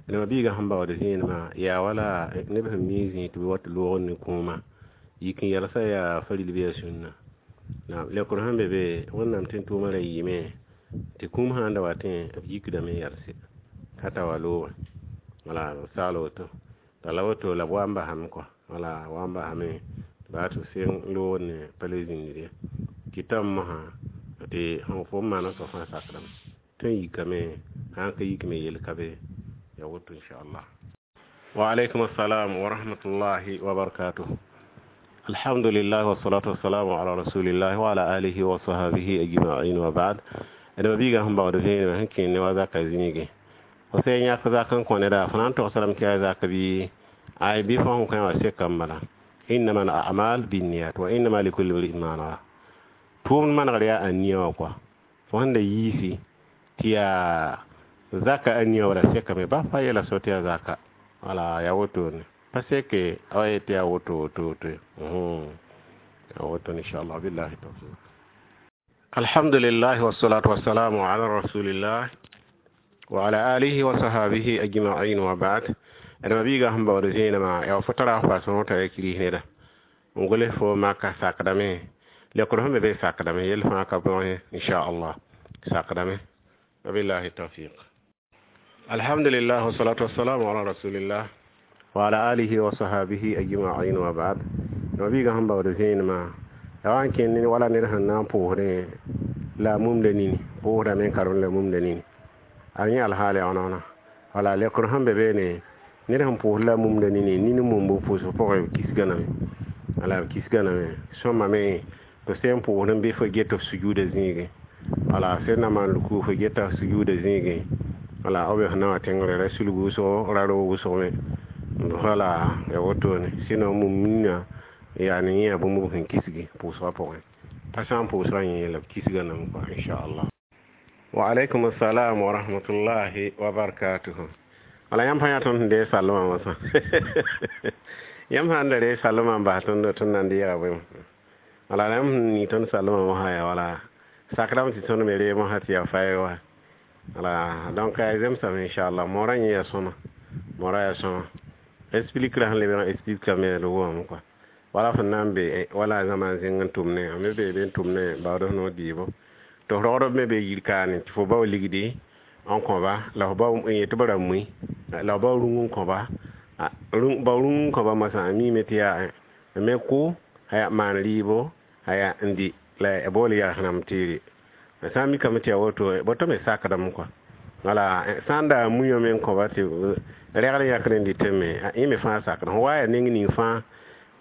S1: Nema biiga sẽn baood vẽenemã yaa wala neb sẽn mi zĩ tɩ b wat loogr ne kũumã yik n yɛlsa yaa faril bɩ yaa sũnna naam. Leokr sẽn be be Wẽnnaam tẽn tʋʋmã ra yɩɩme tɩ kũum sã n da watẽ b yikdame n yɛlse ka ta wa loogẽ. Wala b sagl woto la woto la b wa n basame kɔa wala wa n basame baa tɩ b seng loogr ne pa le zĩndr ye kɩtame mosã tɩ sẽn fo n maana soab fãa sakdame tõe n yikame sã n ka yikme yel ka be ya woto inchallah. Wa alaikum assalam wa rahmatullahi wa barakatuh. Alhamdulillah, wassalatu wassalamu ala rasulillah wa ala alihi wa sahbihi ajma'in, wa ba'd. D ma-biigã sẽn baood vẽenemã sẽn kẽnd ne wa zaka zĩige fo sã n yãk zak n kõ neda fo na n togsdame tɩ yaa zak bɩ ay bɩ fo sẽn kõ wã sekame bala. Innama al a'mal binniyat wa innama likulli imri'in ma nawa. Tʋʋmd manegr yaa aniya wã kɔa. Fo sẽn da yiisi tɩ yaa zaka aniya wala sekame ba pa yɛla so tɩ yaa zaka. Wala yaa wotone. Pa seke a wa tɩ yaa woto woto woto. Yaa woto inshallah billahi tawfiq. Alhamdulillah wassalatu wassalamu ala rasulillah wa ala alihi wa sahabihi ajma'in wa ba'd. D ma-biigã sẽn baood zẽenemã yaa fo tara f paas t'a ya kiris neda n goles fo maka sakdame lekr sẽn be be sakdame yell fãa ka bõe inchallah sakdame wabillahi tawfiq. Alhamdulillah wassalatu wassalamu ala rasulillah wa ala alihi wa sahabihi ajma'in wa ba'd. D ma-biigã sẽn baood zẽenemã yaa wa n kẽnd wala ned sẽn na n pʋʋsdẽ la a mumda nini pʋʋsdame n karem la mumda nini a yẽ alhaal yaa wãna wala lekr sẽn be beene ned sẽn pʋʋs la mumda nini nini mumb pʋʋsg pʋgẽ kisga name wala kisga name sõmame tɩ sẽn pʋʋsd n bɩ fo get f sujuuda zĩigẽ wala sẽn na maan ruku fo geta f sujuuda zĩigẽ wala b sẽn na wã tẽngre ra sulg wʋsgo ra roog wʋsg me wala ya wotone sɩno mum nina yaa ne yẽ bũmb b sẽn kisgi pʋʋsgã pʋgẽ pa sã n pʋʋsgã yẽ la b kisga nam kɔa inchallah. Wa alaikum assalam wa rahmatullahi wa barakatuhu. Wala yãmb sã yaa tõnd sẽn deeg salmã mosã yãmb sã n da reeg salmã n bas tõnd tõnd na n deega bõe wala yãmb sẽn ning tõnd salmã mosã yaa wala sakrame tɩ tõnd me reeg mosã tɩ yaa faɛɛg wa wala donc yaa zemsame inchallah moorã yẽ yaa sõma moorã yaa sõma explique ra sẽn lebg n explique me d wʋmame kɔa wala fõn na n be wala zãma n zĩng n tʋmne a me bee be n tʋmne baood f noor dɩɩbo tɩ f rogdb me be yir kaane tɩ fo bao ligdi n kõba la f bao n yet b ra mui la f bao rũng n kõba bao rũng n kõba mosã a miime tɩ yaa me kʋ aya maan rɩɩbo aya n dɩ la bool yalsnam tɩ sã n mikame tɩ yaa woto boto me sakdame kɔa wala sã n da a muiã me n kõba tɩ rɛgd yãkd n dɩtẽ me yẽ me fãa sakda fõ wa yaa neng ning fãa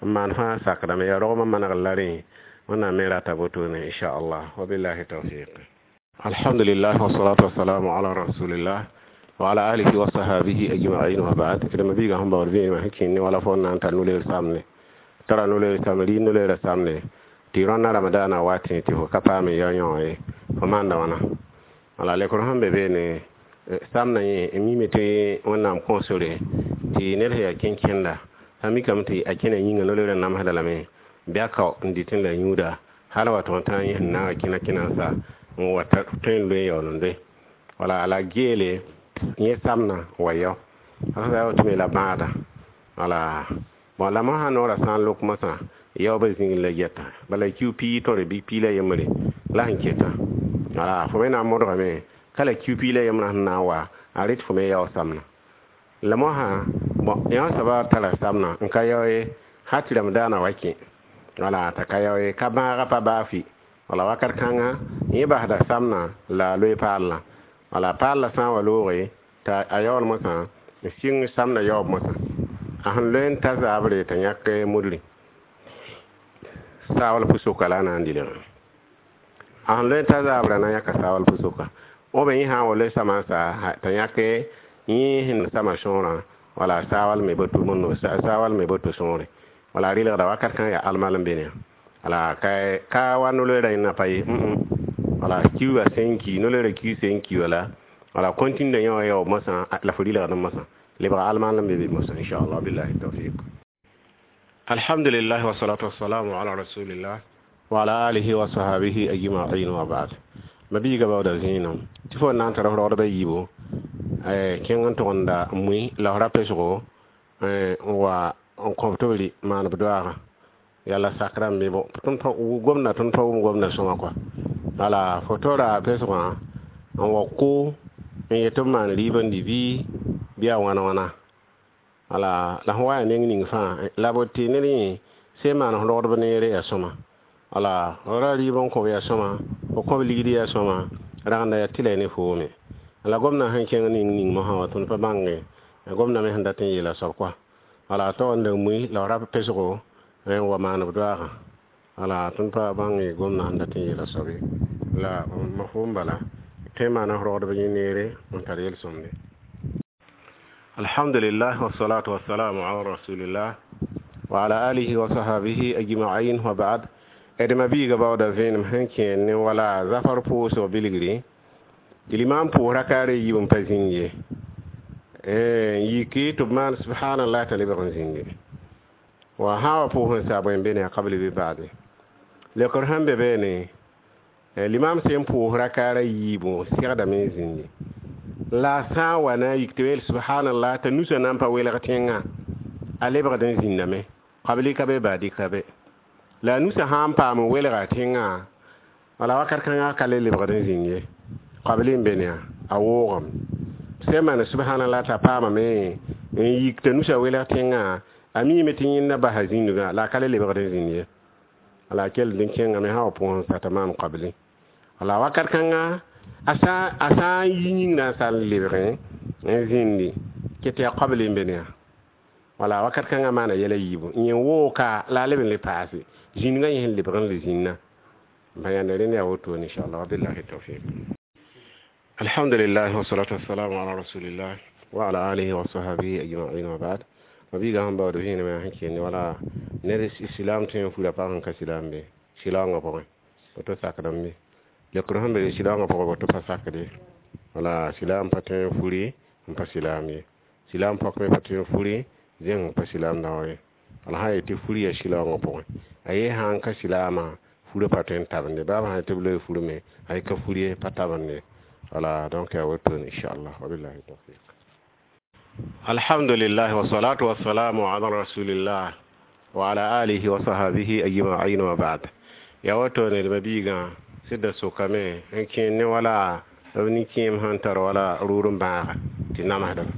S1: n maan fãa sakdame yaa rogmã manegr la rẽ wẽnnaam me rata wotone inchallah wabillahi tawfiq. Alhamdulillah wassalatu wassalamu ala rasulillah wa ala alihi wa sahabihi ajma'in wa ba'd. D ma-biigã sẽn baood vẽenemã sẽn kẽnd ne wala fo n na n tar no-leer samne tara no-leer samne rɩ no-leerã samne tɩ rõnna ramadaanã wa tẽ tɩ fo ka paam n yao yõ ye fo maanda wãna wala lekr sẽn be beene samna yẽ n mime tɩ wẽnnaam kõ sore tɩ ned sẽn yaa kẽn-kẽnda sã mikame tɩ a kẽna yĩnga no-leerã namsda lame bɩ a kao n dɩtẽ la yũuda hal wa tʋg n tã yẽ sẽn na n kẽna kẽna n sa n wa tõe n loe yaool n loe wala la geele yẽ samna wa yao a woto me la bãada wala bon la mosã noorã sã n lok mosã yaoobã zĩig la yɛta bala kiu pii tõre bɩ pii la yembre la sẽn keta wala fo me na n modgame ka la kiu pii la yembrã sẽn na n wa a rɩt fo me yao samna la mosã bon yã soaba tara samna n ka yao ye ha tɩ ramadaanã wa kẽ wala t'a ka yao ye ka bãaga pa baa fɩ wala wakat kãnga yẽ basda samna la a loe paallã wala paallã sã n wa looge t'a a yaool mosã n sɩng samna yaoob mosã a sẽn loe n ta zaabre t'a yãk mudri saawal pʋsoka la a na n dɩlgã a sẽn loe n ta zaabrã na n yãka saawal pʋsoka b yẽ sã n wa loe samã n sa t'a yãk yẽ sẽn sama sõorã wala saawal me boto saawal me boto sõore wala rɩlgda wakat kãng yaa almal n be ne wala ka wa no-loeerã yẽnna pa ye wala kiuga sẽn ki no-loeerã kiu sẽn ki wala wala continue yã wã yaoob mosã la fo rɩlgd mosã lebga almal n be be mosã inchallah billahi tawfiq. Alhamdulillah wassalatu wassalamu ala rasulillah wa ala alihi wa sahabihi ajma'in wa ba'd. Ma-biigã baooda zẽenem tɩ fo n na n tara f rogdbã yiibo kẽng n tʋgemda mui la f ra pesgo n wa n kõb tɩ b rɩ maan b doaagã yala sakrã n be bo tõnd pa gomda tõnd pa wʋm gomda sõma kɔa wala fo tora pesgã n wa kʋ n yet tɩ b maan rɩɩb n dɩ bɩ a wãna wãna wala la fõ wa yaa neng ning fãa la b tɩ ned yẽ sẽn maan f rogdb neere yaa sõma wala ra rɩɩb n kõb yaa sõma fo kõb ligd yaa sõma ragenda yaa tɩ la ne foome la gomdã sẽn kẽng ning ning mosã wa tõnd pa bãnge gomdã me sẽn dat n yeela soab kɔa wala tog n da mui la f ra pesgo n wa maan b doaagã wala tõnd pa bãng gomdã sẽn dat n yeela soab ye la ma fo n bala Tõe n maana rogdb yẽ neere n tar yel-sõmde. Alhamdulillah, wassalatu wassalamu ala rasulillah wa ala alihi wa sahabihi ajma'in, wa ba'd. D ma-biiga baooda vẽenem sẽn kẽer ne wala zafar pʋʋsg bilgri tɩ limam pʋʋs rakaar yiib n pa zĩnd ye, n yiki tɩ b maan subhanallah t'a lebg n zĩndi. Wa sã wa pʋʋs n saa bõe n be ne a qabli bɩ baade. Leokr sẽn be beene, limam sẽn pʋʋs rakaar a yiibu segdame n zĩndi, la a sã n wa na n yik tɩ yeel subhanallah t'a nusa na n pa welg tẽngã, a lebgd n zĩndame, qabli ka be, baadi ka be. La a nusa sã n paam n welga tẽngã, wala wakat kãngã ka le lebgd n zĩnd ye, qabli n be ne a woogame. Sẽn maan subhanallah t'a paamame n yik t'a nusa welg tẽngã, a miime tɩ yẽnda basa zĩndgã, la a ka le lebgd n zĩnd ye. La a kell n kẽngame sã wa pʋʋs n sa t'a maan qabli. La wakat kãngã a sã n yi yĩngrã n sal n lebgẽ n zĩndi kɩ tɩ yaa qabli n be ne. Wala wakat kãngã maana yɛla yiibu, yẽ wooka la a leb n le paase zĩndgã, yẽ sẽn lebg n le zĩnna n pa yãnda. Rẽnd yaa wotone, inchallah. Wabillahi tawfiq. Alhamdulillah, wasalatu wassalamu ala rasulillah wa ala alihi wa sahbihi ajma'in, wa ba'd. Ma-biigã sẽn baood vẽenemã sẽn kẽende wala ned silaam tõe n fura pag sẽn ka silaam be silaoongã pʋgẽ, woto sakdame be. Leokr sẽn be silaoongã pʋgẽ, woto pa sakd ye. Wala silaam pa tõe n furi n pa silaam ye, silaam pɔk me pa tõe n furi zẽng n pa silaam dao ye. Wala sã n yetɩ furi yaa silaoongã pʋgẽ, a ye sã n ka silaamã, furã pa tõe n tabende. Baa b sã n tɩ b loe furme, a ye ka fur ye, pa tabende. Wala donc yaa wotone, inchallah. Wabillahi tawfiq. Alhamdulillah, wasalatu wassalamu ala rasulillah wa ala alihi wa sahabihi ajma'in, wa ba'd. Ya wotone, d ma-biigã sɩd sokame n kẽer ne wala b nin-kẽem sẽn tar wala rʋʋr n bãaga tɩ namsdb.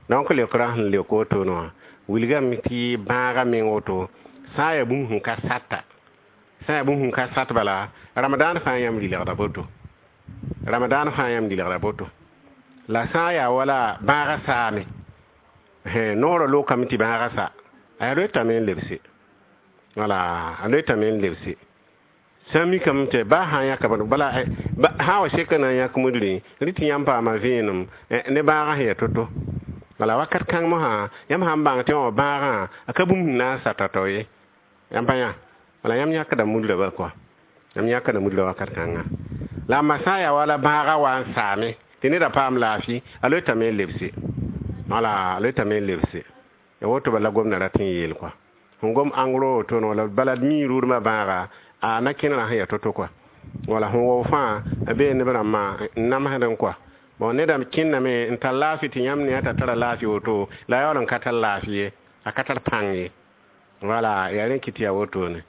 S1: Donc leokrã sẽn leok wotone wã wilgame tɩ bãaga meng woto sã n yaa bũmb sẽn ka sata, sã n yaa bũmb sẽn ka sat, bala ramadaan fãa yãmb rɩlgda boto, ramadaan fãa yãmb rɩlgda boto. La sã n yaa wala bãaga saame, noorã lokame tɩ bãaga sa, a loetame n lebse, wala a loetame n lebse. Sã n mikame tɩ baa sã n yãka bala, sã n wa seka na n yãk mudrẽ rɩ tɩ yãmb paama vẽenem ne bãagã sẽn yaa to-to. Wala wakat kãng mosã yãmb sã n bãng tɩ wã bãagã a ka bũmb sẽn na n sa tao-tao ye, yãmb pa yã. Wala yãmb yãkda mudrã bal kɔa, yãmb yãkda mudrã wakat kãnga. La a sã n yaa wala bãagã wa n saame tɩ neda paam laafɩ, a loetame n lebse, wala a loetame n lebse. Ya woto bala gomdã rat n yeel kɔa, sẽn gom ãngro wotone, wala bala d mii rʋʋdmã bãaga a na kẽnerã sẽn yaa to-to kɔa. Wala sẽn wao fãa a bee neb rãmbã n namsdẽ kɔa. Bon, neda kẽndame n tar laafɩ tɩ yãmb ne t'a tara laafɩ woto, la a yaool n ka tar laafɩ ye, a ka tar pãng ye. Wala yaa rẽ kɩ tɩ yaa wotone.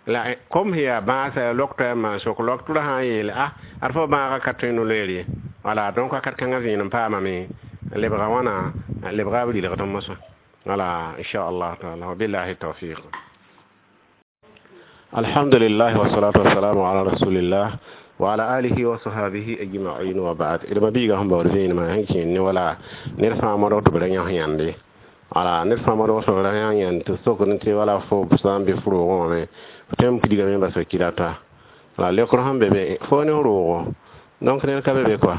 S1: La kom sẽn yaa bãasã yaa lok toa n maan sok lok tʋra sã n yeele a ad fo bãagã ka tõe no-loeer ye. Wala donc wakat kãngã vẽenem paamame lebga wãna, lebga b rɩlgd mosã. Wala inchallah taala. Wabillahi tawfiq. Alhamdulillah, wasalatu wassalamu ala rasulillah wa ala alihi wa sahabihi ajma'in, wa ba'd. D ma-biigã sẽn baood vẽenemã sẽn kẽer ne wala ned fãa modg tɩ b ra yãs yãnde. Wala ned fãa modg tɩ b ra yãs yãnd, tɩ sokd tɩ wala fo sã n be f roogẽ wã me, f tõe n pidgame n bas f kirata. Wala leokr sẽn be be fo ne f roogo, donc ned ka be be kɔa.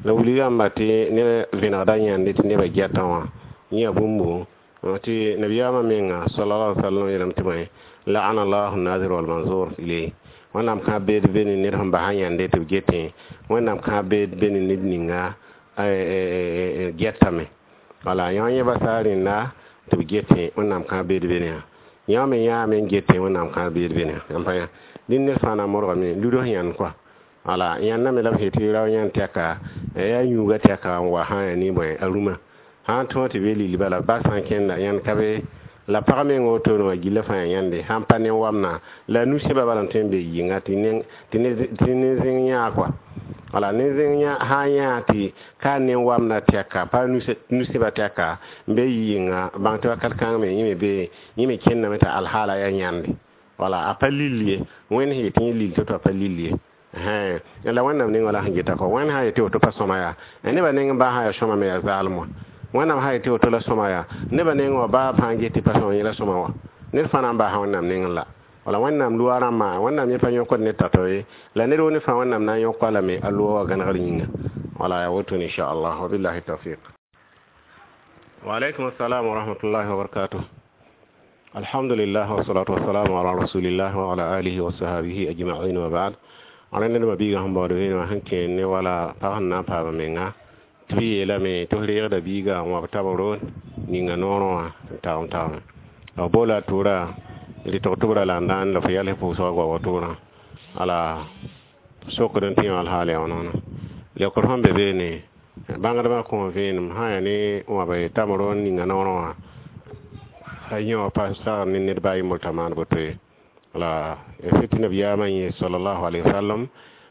S1: La wilgãmba tɩ ned vẽnegda yãnde tɩ nebã gɛtã wã yẽ yaa bũmbu tɩ nabiyaamã menga sallallahu alaihi wasallam yeelame tɩ bõe, la'ana allahu nazir wal manzur ilayh. Wẽnnaam kãab beed be ne ned sẽn basa yãnde tɩ b getẽ, Wẽnnaam kãab beed be ne ned ninga gɛtame. Wala yã yẽ basa rẽnda tɩ b getẽ, Wẽnnaam kãab beed be ne yã me yãame n getẽ, Wẽnnaam kãab beed be ne yãmb pa yã. Dĩn ned fãa na n modgame luds yãnd kɔa. Wala yãndame la b sẽn tɩ rao yãnd tɛka yaa yũuga tɛka n wa sã n yaa ne bõe a rũmã sã n tõog tɩ be lili, bala ba sã n kẽnda yãnd ka be. La pag meng wotone wã gilla fãa yaa yãnde sãn pa ne wamna la nu-sẽba bala n tõe n be yɩnga tɩ ne zẽng yãa kɔa. Wala ne zẽng sã n yãa tɩ ka ne wamna tɛka pa nu-sẽba tɛka n be yɩnga, bãng tɩ wakat kãng me yẽ me be yẽ me kẽndame t'a alhaala yaa yãnde. Wala a pa lill ye, Wẽnd sẽn yetɩ yẽ lill to-to a pa lill ye. La Wẽnnaam neng wala sẽn geta kɔ, Wẽnd sã n yetɩ woto pa sõma yaa nebã neng baa sã yaa sõma me yaa zaalem wã. Wẽnnaam sã n yetɩ woto la sõma yaa nebã neng wã baa fãa get tɩ pa sõma, yẽ la sõma wã. Ned fãa na n baasa Wẽnnaam nengẽ la. Wala wẽnnaam loa rãmbã, wẽnnaam yẽ pa yõkd ned tao-tao ye, la ned woo ne fãa wẽnnaam na n yõk-a lame a loa wã gãnegr yĩnga. Wala yaa wotone, inchallah. Wabillahi tawfiq. Wa alaikum assalam wa rahmatullahi wa barakatuh. Alhamdulillah, wassalatu wassalamu ala rasulillah wa ala alihi wa sahbihi ajma'in, wa ba'd. Ala ned ma biiga sẽn baood vẽenemã sẽn kẽer ne wala pag sẽn na n paama menga tɩ b yeelame tɩ f reegda biiga n wãb tabro ninga noorẽ wã n tagem tagme b boola a tʋʋra rɩtg tʋbrã la n dãan la fo yals pʋʋsgã goabg tʋbrã ala sokd n tɩ yã alhaal yaa wãna leokd sẽn be beene bãngdbã kõ vẽenem sã yaa ne wãb tamro n ninga noorẽ wã a yẽ wã pa sagd ne ned baa yembr t'a maan boto ye. La sɩd tɩ nabiyaamã yẽ sallallahu alaihi wasallam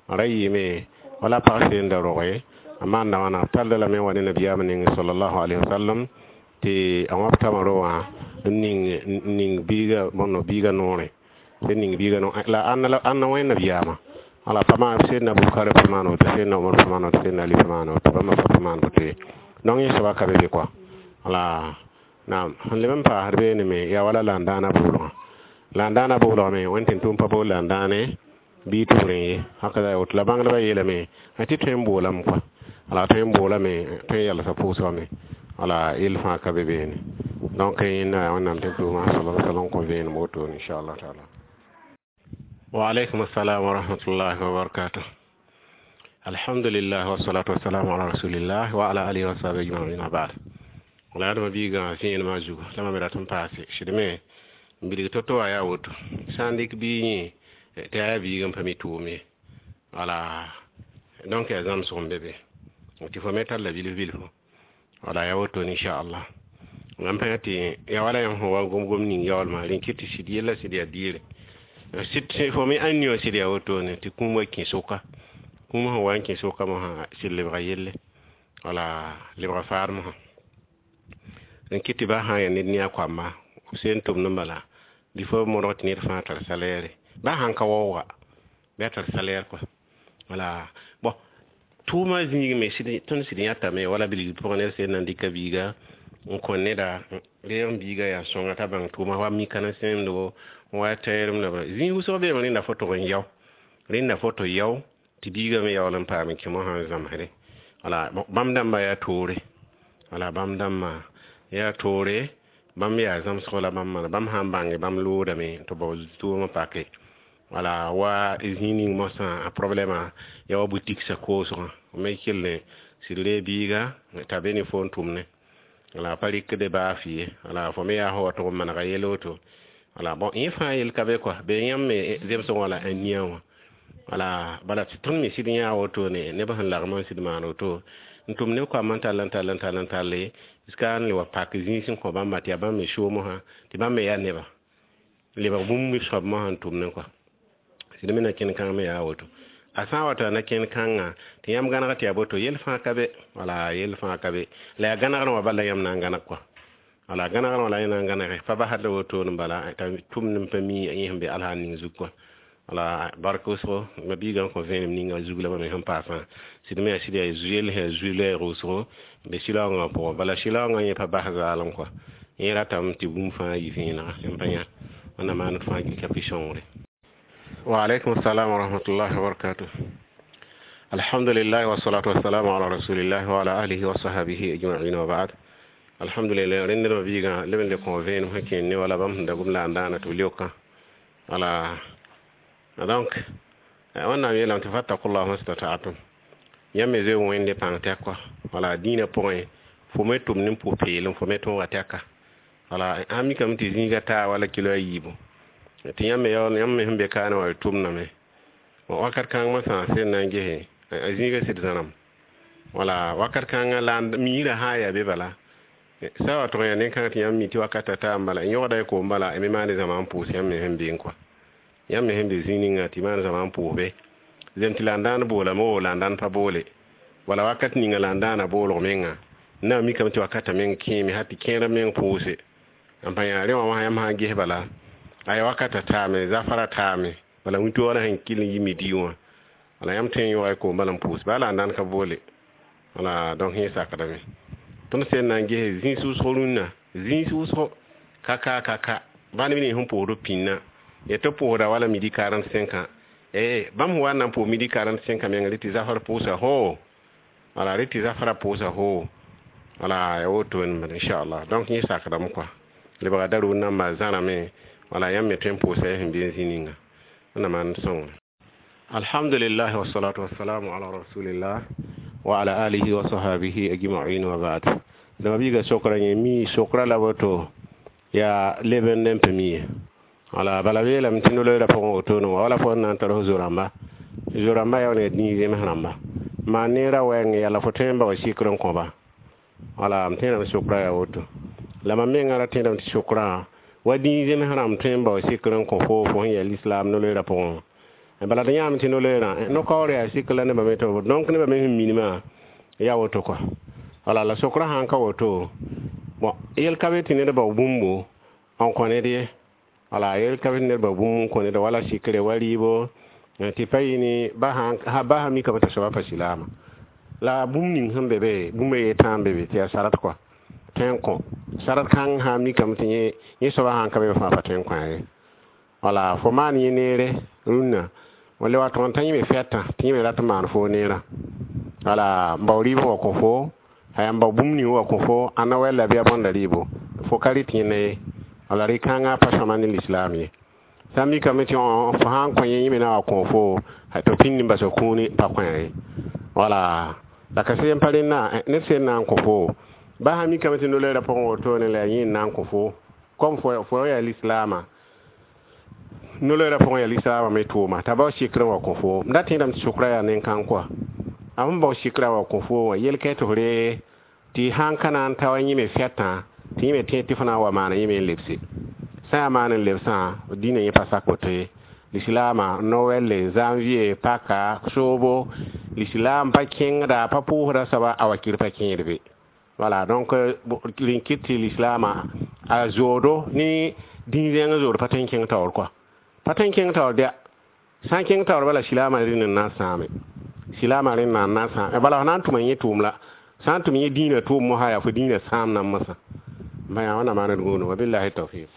S1: ra yɩɩme wala pag seen da roge a maanda wãna tallda lame n wa ne nabiyaamã nengẽ sallallahu alaihi wasallam tɩ a wãb tamro wã n ning biiga bõndo biiga noorẽ sẽn ning biiga la ãnna wẽn nabiyaamã wala pa maan sẽdna Bukari pa maan woto, sẽdna Umar pa maan woto, sẽdna Ali pa maan woto, bãmba pa maan woto ye. Donc yẽ soaba ka be be kɔa. Wala naam sẽn leb n paasd beene me yaa wala landãana boolgã. Landãana boolgã me wẽn tɩ tʋm pa bool landãane bɩ tɩ b rẽ ye haka yaa woto la bãngdbã yeelame tɩ tõe n boolame kɔa. Wala tõe n boolame, tõe n yalsa pʋʋsgame. Wala yell fãa ka be beene. Donc yẽnda wẽnnaam tɩ tʋʋma sallallahu alaihi wasallam kõ vẽenem wotone, inchallah taala. Wa alaikum assalam wa rahmatullahi wa barakatuh. Alhamdulillah, wassalatu wassalamu ala rasulillah wa ala alihi wa sahbihi ajma'in, wa ba'd. Wala yadma biiga vẽenemã zugu la mam rat n paase sɩd me n bilg to-to wã yaa woto sã n dɩk bii yẽ tɩ yaa biig n pa mi tʋʋm ye. Wala donc yaa zãmsg n be be tɩ fo me talla bilf bilfu. Wala yaa wotone, inchallah. Mam pa tɩ yaa wala yãmb sẽn wa gom-gom ning yaoolmã rẽn kɩt tɩ sɩd yella sɩd yaa diire sɩd fo me ãn wã sɩd yaa wotone tɩ kũum wa kẽ sʋka kũum sẽn wa n kẽ sʋka mosã sɩd lebga yelle wala lebga faad mosã rẽn kɩt tɩ ba sã n yaa ned ne a koamba b seen tʋmd n bala bɩ fo modg tɩ ned fãa tar salaire ba sãn ka waooga bɩ a tar salaire kɔa. Wala bon tʋʋmã zĩig me tõnd sɩd yãtame wala bilg pʋgẽ ned sẽn na n dɩka biiga n kõ neda reeg n biiga yaa sõnga t'a bãng tʋʋma wa mikana sẽemdgo wa tɛɛrem la zĩig wʋsg beeme rẽnda fo tʋg n yao rẽnda fo tɩ yao tɩ biiga me yaool n paam n kẽ mosã n zãmsde. Wala bãmb dãmbã yaa toore wala bãmb dãmbã yaa toore bãmb yaa zãmsg la bãmb maana bãmb sã n bãnge bãmb loodame tɩ bao tʋʋmã pake. Wala wa zĩig ning mosã a problɛmã yaa wa boutique sa koosgã me kell sɩd reeg biiga t'a be ne fo n tʋmne wala pa rɩkde baa fɩ ye. Wala fo me yaa sã wa tʋg n manega yel woto. Wala bon yẽ fãa yel ka be kɔa be yãmb me zemsg wã la a nia wã. Wala bala tɩ tõnd me sɩd yãa wotone neb sẽn lagm n sɩd maan woto n tʋm neb koamã n tall n tall n tall n talle jusqu'à n le wa pak zĩig sẽn kõ bãmba tɩ yaa bãmb me soom mosã tɩ bãmb me yaa neba lebg bũmb soab mosã n tʋmne kɔa. Sɩd me na kẽnd kãng me yaa woto a sã n wa t'a na kẽnd kãngã tɩ yãmb gãneg tɩ yaa boto yel fãa ka be. Wala yel fãa ka be la yaa gãnegrẽ wã bala yãmb na n gãneg kɔa. Wala gãnegrẽ wã la yẽ na n gãnege pa basd la wotone bala t'a tʋmd n pa mi yẽ sẽn be alhaal ning zug kɔa. Wala bark wʋsgo ma biigã n kõ vẽenem ninga zug la mam sẽn paasã sɩd me yaa sɩd yaa yel sẽn yaa zu-lɛɛg wʋsgo be sɩlaoongã pʋgẽ bala sɩlaoongã yẽ pa bas zaalem kɔa yẽ ratame tɩ bũmb fãa yɩ vẽenega yãmb pa yã wẽnnaam maan d fãa gilka pɩ sõngre. Wa alaikum assalam wa rahmatullahi wa barakatuh. Alhamdulillah, wassalatu wassalamu ala rasulillah wa ala alihi wa sahbihi ajma'in, wa ba'd. Alhamdulillah, rẽnd ma biigã leb n le kõ vẽenem sẽn kẽer ne wala bãmb sẽn da gom la n daana tɩ b leokã. Wala donc wẽnnaam yeelame tɩ fattakullah mastata'atum yãmb me zoe wẽnde pãng tɛk kɔa. Wala dĩinã pʋgẽ fo me tʋmd n pʋ-peelem fo me tõoga tɛka. Wala sãn mikame tɩ zĩiga taa wala kilo a yiibu tɩ yãmb me yaool yãmb me sẽn be kaane wã y tʋmdame wakat kãng mosã sẽn na n gese a zĩiga sɩd zãrem. Wala wakat kãngã la miirã sã n yaa be bala sã wa tʋg n yaa nen-kãng tɩ yãmb mi tɩ wakata taa n bala n yõgda y koom bala y me maane zãma n pʋʋs yãmb me sẽn be n kɔa yãmb me sẽn be zĩig ninga tɩ maan zãma n pʋʋs be zem tɩ la n dãan boolame o la n dãn pa boole wala wakat ninga la n dãana boolg menga n na n mikame tɩ wakata meng kẽeme ha tɩ kẽerã meng pʋʋse n pa yã rẽ wã wã yãmb sã n ges bala aya wakata taame zafara taame bala wĩntoogã sẽn kɩl n yi midi wã wala yãmb tõe n yõga y koom bala n pʋʋs baa la n dãn ka boole. Wala donc yẽ sakdame tõnd sẽn na n gese zĩis wʋsg rũnnã zĩis wʋsgo ka ka ka ka bãmb neb nins sẽn pʋʋsd b pĩnnã. Ya tɩ pʋʋsda wala midi 45 bãmb sẽn wa n na n pʋʋs midi 45 menga rɩ tɩ zafr pʋʋsa foo wala rɩ tɩ zafrã pʋʋsa foo wala ya woto inchallah. Donc yẽ sakdame kɔa lebga darʋʋd namba zãrame wala yãmb me tõe n pʋʋsa y sẽn be n zĩ ninga wẽnna maan sõngre. Alhamdulillah, wassalatu wassalamu ala rasulillah wa ala alihi wa sahbihi ajma'in, wa ba'd. Dama biiga sokra yẽ mi sokra la woto yaa leb n n pa mi ye. Wala bala yeelame tɩ no-loeera pʋgẽ wotone wã wala fo na n tar f zo-rãmba zo-rãmba yaa ne dĩig zems rãmba maan neerã wɛɛng yala fo tõe n bao sɩkr n kõba. Wala m tẽedame sokrã yaa woto la mam mengã ra tẽedame tɩ sokrã wa dĩig zems rãmb tõe n bao sɩkr n kõ fo fo sẽn yaa lislaam no-loeerã pʋgẽ. Bala tɩ yãame tɩ no-loeerã no-kaoor yaa sɩkr la nebã me tɩ donc nebã me sẽn minimã yaa woto kɔa. Wala la sokrã sãn ka woto bon yel ka be tɩ ned bao bũmbo n kõ ned ye. Wala yel ka be tɩ ned bao bũmb n kõ ned wala sɩkre wa rɩɩbo tɩ pa yɩ ne ba sã mikame t'a soaba pa silaama la bũmb ning sẽn be be bũmb a ye tãa n be be tɩ yaa sarat kɔa tõe n kõ sarat kãng sã n mikame tɩ yẽ soaba sãn ka be fãa pa tõe n kõ ye. Wala fo maan yẽ neere rũnnã le wa tõg n t'a yẽme fɛtã tɩ yẽ me rat n maan foo neerã. Wala n bao rɩɩb wa kõ fo aya n bao bũmb ning wa kõ fo ãnna wɛl la bɩ a bõnda rɩɩbo fo ka rɩ tɩ yẽnda ye. Wala rɩ-kãngã pa sõma ne lislaam ye. Sã n mikame tɩ fo sã n kõ yẽ yẽ me na wa kõ fo tɩ pĩnd n bas kũuni pa kõ ye. Wala la ka sẽn pa rẽnna ned sẽn na n kõ fo ba sã mikame tɩ no-loeerã pʋgẽ wotone la yaa yẽ n na n kõ fo comme fo yaa lislaamã no-loeerã pʋgẽ yaa lislaamã me tʋʋma t'a bao sɩkr n wa kõ fo m da tẽedame tɩ sʋkrã yaa nen-kãng kɔa a sẽn bao sɩkrã wa kõ fo wã yel-kɛɛ tɩ f ree tɩ sãn ka na n ta wa yẽ me fɛtã tɩ yẽ me tẽed tɩ fo na n wa maana yẽ me n lebse sã yaa maan n lebsã dĩnã yẽ pa sak woto ye. Lislaamã nowɛlle janvier paka soobo lislaam pa kẽngda pa pʋʋsda soaba a wakir pa kẽed be. Voilà, donc rẽn kɩt tɩ lislaamã a zoodo ne dĩn-zẽng zood pa tõe n kẽng taoor kɔa pa tõe n kẽng taoor dɛ sã n kẽng taoor bala silaamã rẽnd n na n sãame silaamã rẽnd na n na n sãame bala f na n tʋma yẽ tʋʋm la sã n tʋm yẽ dĩinã tʋʋm mosã yaa fo dĩinã sãam nan mosã n yaa wẽnnaam maan d gũudum wabillahi tawfiq.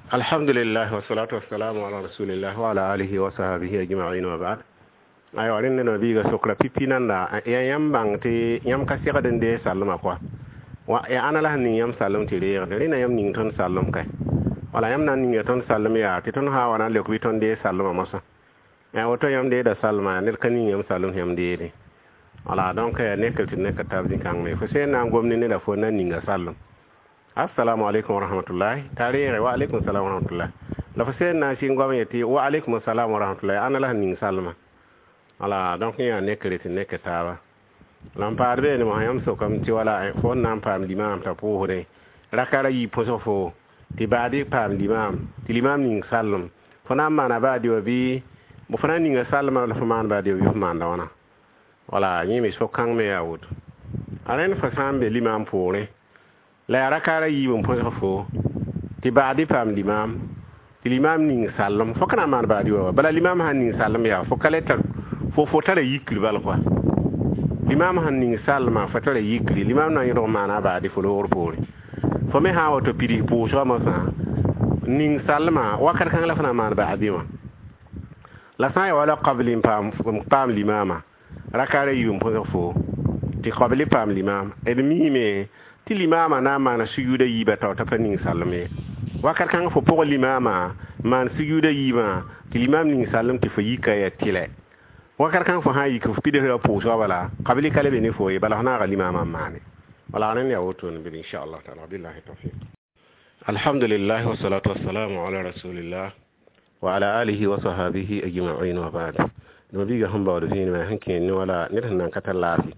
S1: Alhamdulillah, wassalatu wassalamu ala rasulillah wa ala alihi wa sahbihi ajma'in, wa ba'd. Aywa rẽnd ned biiga sokra pipi nanda yaa yãmb bãng tɩ yãmb ka segd n dee sallmã kɔa wa yaa ãna la sẽn ning yãmb sallem tɩ reegde rẽnda yãmb ning tõnd sallem kae. Wala yãmb na n ninga tõnd sallem yaa tɩ tõnd sã n wa na n leok bɩ tõnd dee sallmã mosã woto yãmb deeda sallma ned ka ning yãmb sallem tɩ yãmb deede. Wala donc nekr tɩ neka tab zĩ-kãng me fo sẽn na n gom ne neda fo na n ninga sallem. Assalamu alaikum wa rahmatullahi t'a reege wa alaikum salam wa rahmatullahi la fo sẽn na n sɩng goam yetɩ wa alaikum salam wa rahmatullahi ãna la sẽn ning sallmã. Wala donc yã nekre tɩ nek taaba la n paad beene mosã yãmb sokame tɩ wala fo n na n paam limaam t'a pʋʋsdẽ raka ra yi pʋsg fo tɩ baadi paam limaam tɩ limaam ning sallem fo na n maana baadi wã bɩ fo na n ninga sallmã la fo maan baadi wã bɩ fo maanda wãna. Wala yẽ me so-kãng me yaa woto a rẽnd fo sã n be limaam poorẽ la yaa raka ra yiib n põsg fo tɩ baadi paam limaam tɩ limaam ning sallem fo ka na n maan baadi wã wa bala limaam sãn ning sallem yaa fo ka le tar fo tara yikr bal kɔa limaam sãn ning sallmã fo tara yikri limaam na n yẽdg maana a baadi fo loogr poore fo me sã n wato pids pʋʋsgã mosã ning sallmã wakat kãng la fo na n maan baadi wã la sã n yaa wala qabli n paam limaamã raka ra yiib n põsg fo tɩ qabli paam limaam d miime tɩ limaamã na n maana sujuuda yiibã tao t'a pa ning sallem ye wakat kãng fo pʋg limaamã maan sujuuda yiibã tɩ limaam ning sallem tɩ fo yika ya tɩlɛ wakat kãng fo sã n yik f pidsra pʋʋsgã bala qabli ka le be ne fo ye bala f naaga limaamã n maane. Wala rẽnd yaa wotone bɩ inchallah taala billahi tawfiq. Alhamdulillah, wassalatu wassalamu ala rasulillah wa ala alihi wa sahbihi ajma'in, wa ba'd. Dama biiga sẽn baood vẽenemã sẽn kẽer ne wala ned sẽn nan ka tar laafɩ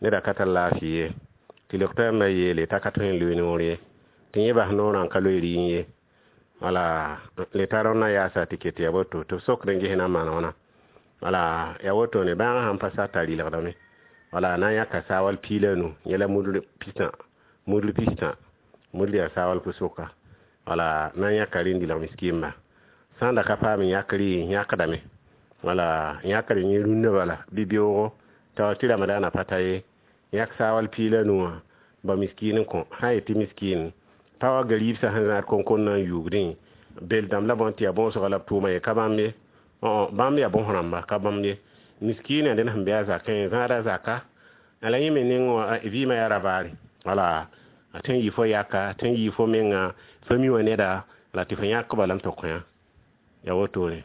S1: neda ka tar laafɩ ye tɩ lok t'a yeele t'a ka tõe n loe noor ye tɩ yẽ bas noorã n ka loe rɩɩn ye. Wala le tar na yaasa tɩ ket ya woto tɩ b sokd n ges na n maan wãna. Wala ya woto ne bãagã sãn pa sa t'a rɩlgdame wala na n yãka saawal piig la nu yẽ la mudr pistã mudr pistã mudr yaa saawal pʋ-soka wala na n yãka rẽnd dɩlg miskɩmba sã n da ka paam yãk rɩ yãkdame wala yãkr yẽ rũnnã bala bɩ beoogo t'a tɩ ramadaanã pa ta ye yãk saawal piig la nu wã ba miskin n kõ sã n yetɩ miskin pa wa gariib sã sẽn zãad konkon na n yuugdẽ. Bel dãmb la bõn tɩ yaa bõosga la b tʋʋma ye, ka bãmb ye. Bãmb yaa bõs rãmba, ka bãmb ye. Miskiinã dẽnd sẽn be a zakẽ, zãada zaka la yẽ me neng wã vɩɩmã yaa rabaare. Wala a tõe n yɩ fo yaka, tõe n yɩ fo menga fami wã neda, la tɩ fo yãk bala n tɩ kõ ya wotone.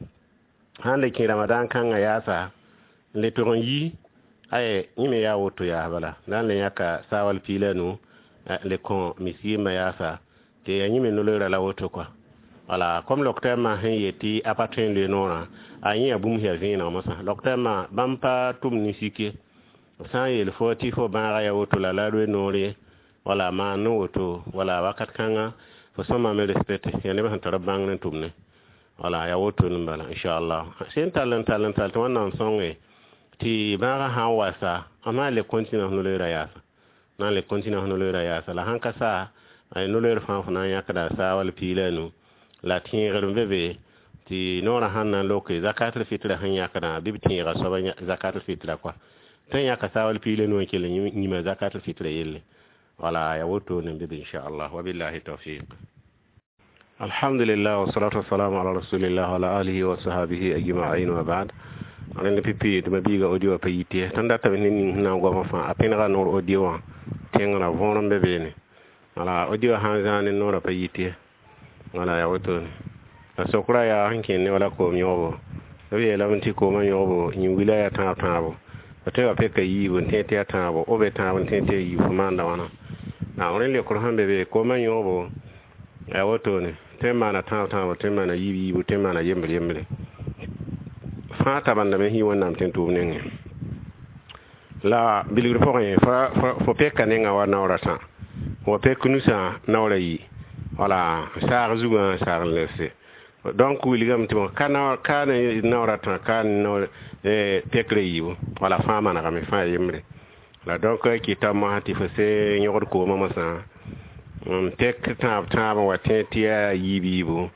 S1: Sãn le kẽ ramadan kãngã yaasa n le tog n yi, ay yẽ me yaa woto yaas bala, la n le yãka saawal piig la nu le kõ miskiinbã yaasa tɩ ya yẽ me no-loeerã la woto kɔa. Wala comme lɔktɛɛmã sẽn yet tɩ a pa tõe n loe noorã, a yẽ yaa bũmb sẽn yaa vẽeneg mosã. Lɔktɛɛmã bãmb pa tʋm ne sik ye. B sã n yeel fo tɩ fo bãaga yaa woto la la loe noor ye, wala maan ne woto, wala wakat kãnga fo sõma me respecte yaa neb sẽn tar b bãngr n tʋm ne. Wala yaa woto n bala, inchallah. Sẽn tall n tall n tall tɩ Wẽnnaam sõnge tɩ bãagã sã n wasa, b na n le continue f no-loeerã yaasa, na n le continue f no-loeerã yaasa. La sãn ka sa, no-loeer fãa fo na n yãkda saawal piig la nu la tẽegr n be be tɩ noorã sãn na n loke zakatul fitra sẽn yãkdã, bɩ b tẽega soaba zakatul fitra kɔa, tõe n yãka saawal piig la nu n kell n yĩma zakatul fitra yelle. Wala ya woto ne be be, inchallah. Wabillahi tawfiq. Alhamdulillah, wassalatu wassalamu ala rasulillah wa ala alihi wa sahbihi ajma'in, wa ba'd. Rẽnd pipi tɩ ma-biiga audio pa yit ye, tõnd datame ne ning sẽn na n goamã fãa, a pẽnega noor audio wã tẽngrã võor n be beene. Wala audio sãn zãa ne noorã pa yit ye. Wala ya wotone. La sokra yaa sẽn kẽnd ne wala koom yõgbo, b yeelame tɩ koomã yõgbo yĩn-wila yaa tãab tãabo, b tõe wa peka yiibu n tẽ tɩ yaa tãabo, b be tãab n tẽ tɩ yaa yiibu, fo maanda wãna? Rẽnd leokr sẽn be be, koomã yõgbo yaa wotone, tõe n maana tãab tãabo, tõe n maana yiib yiibu, tõe n maana yembre yembre, fãa tabandame sẽn yi Wẽnnaam tẽn-tʋʋm nengẽ. La bilgr pʋgẽ fo peka nengã wa naoor a tã, wa pek nusã naoor a yi, wala saag zugã saag n lebse. Donc wilgame tɩ bõ ka ne naoor a tã, ka ne naoor pekrã yiibu, wala fãa manegame, fãa yembre. La donc kɩta mosã tɩ fo se yõgd koomã mosã n pek tãab tãab n wa tẽ tɩ yaa yiib yiibu,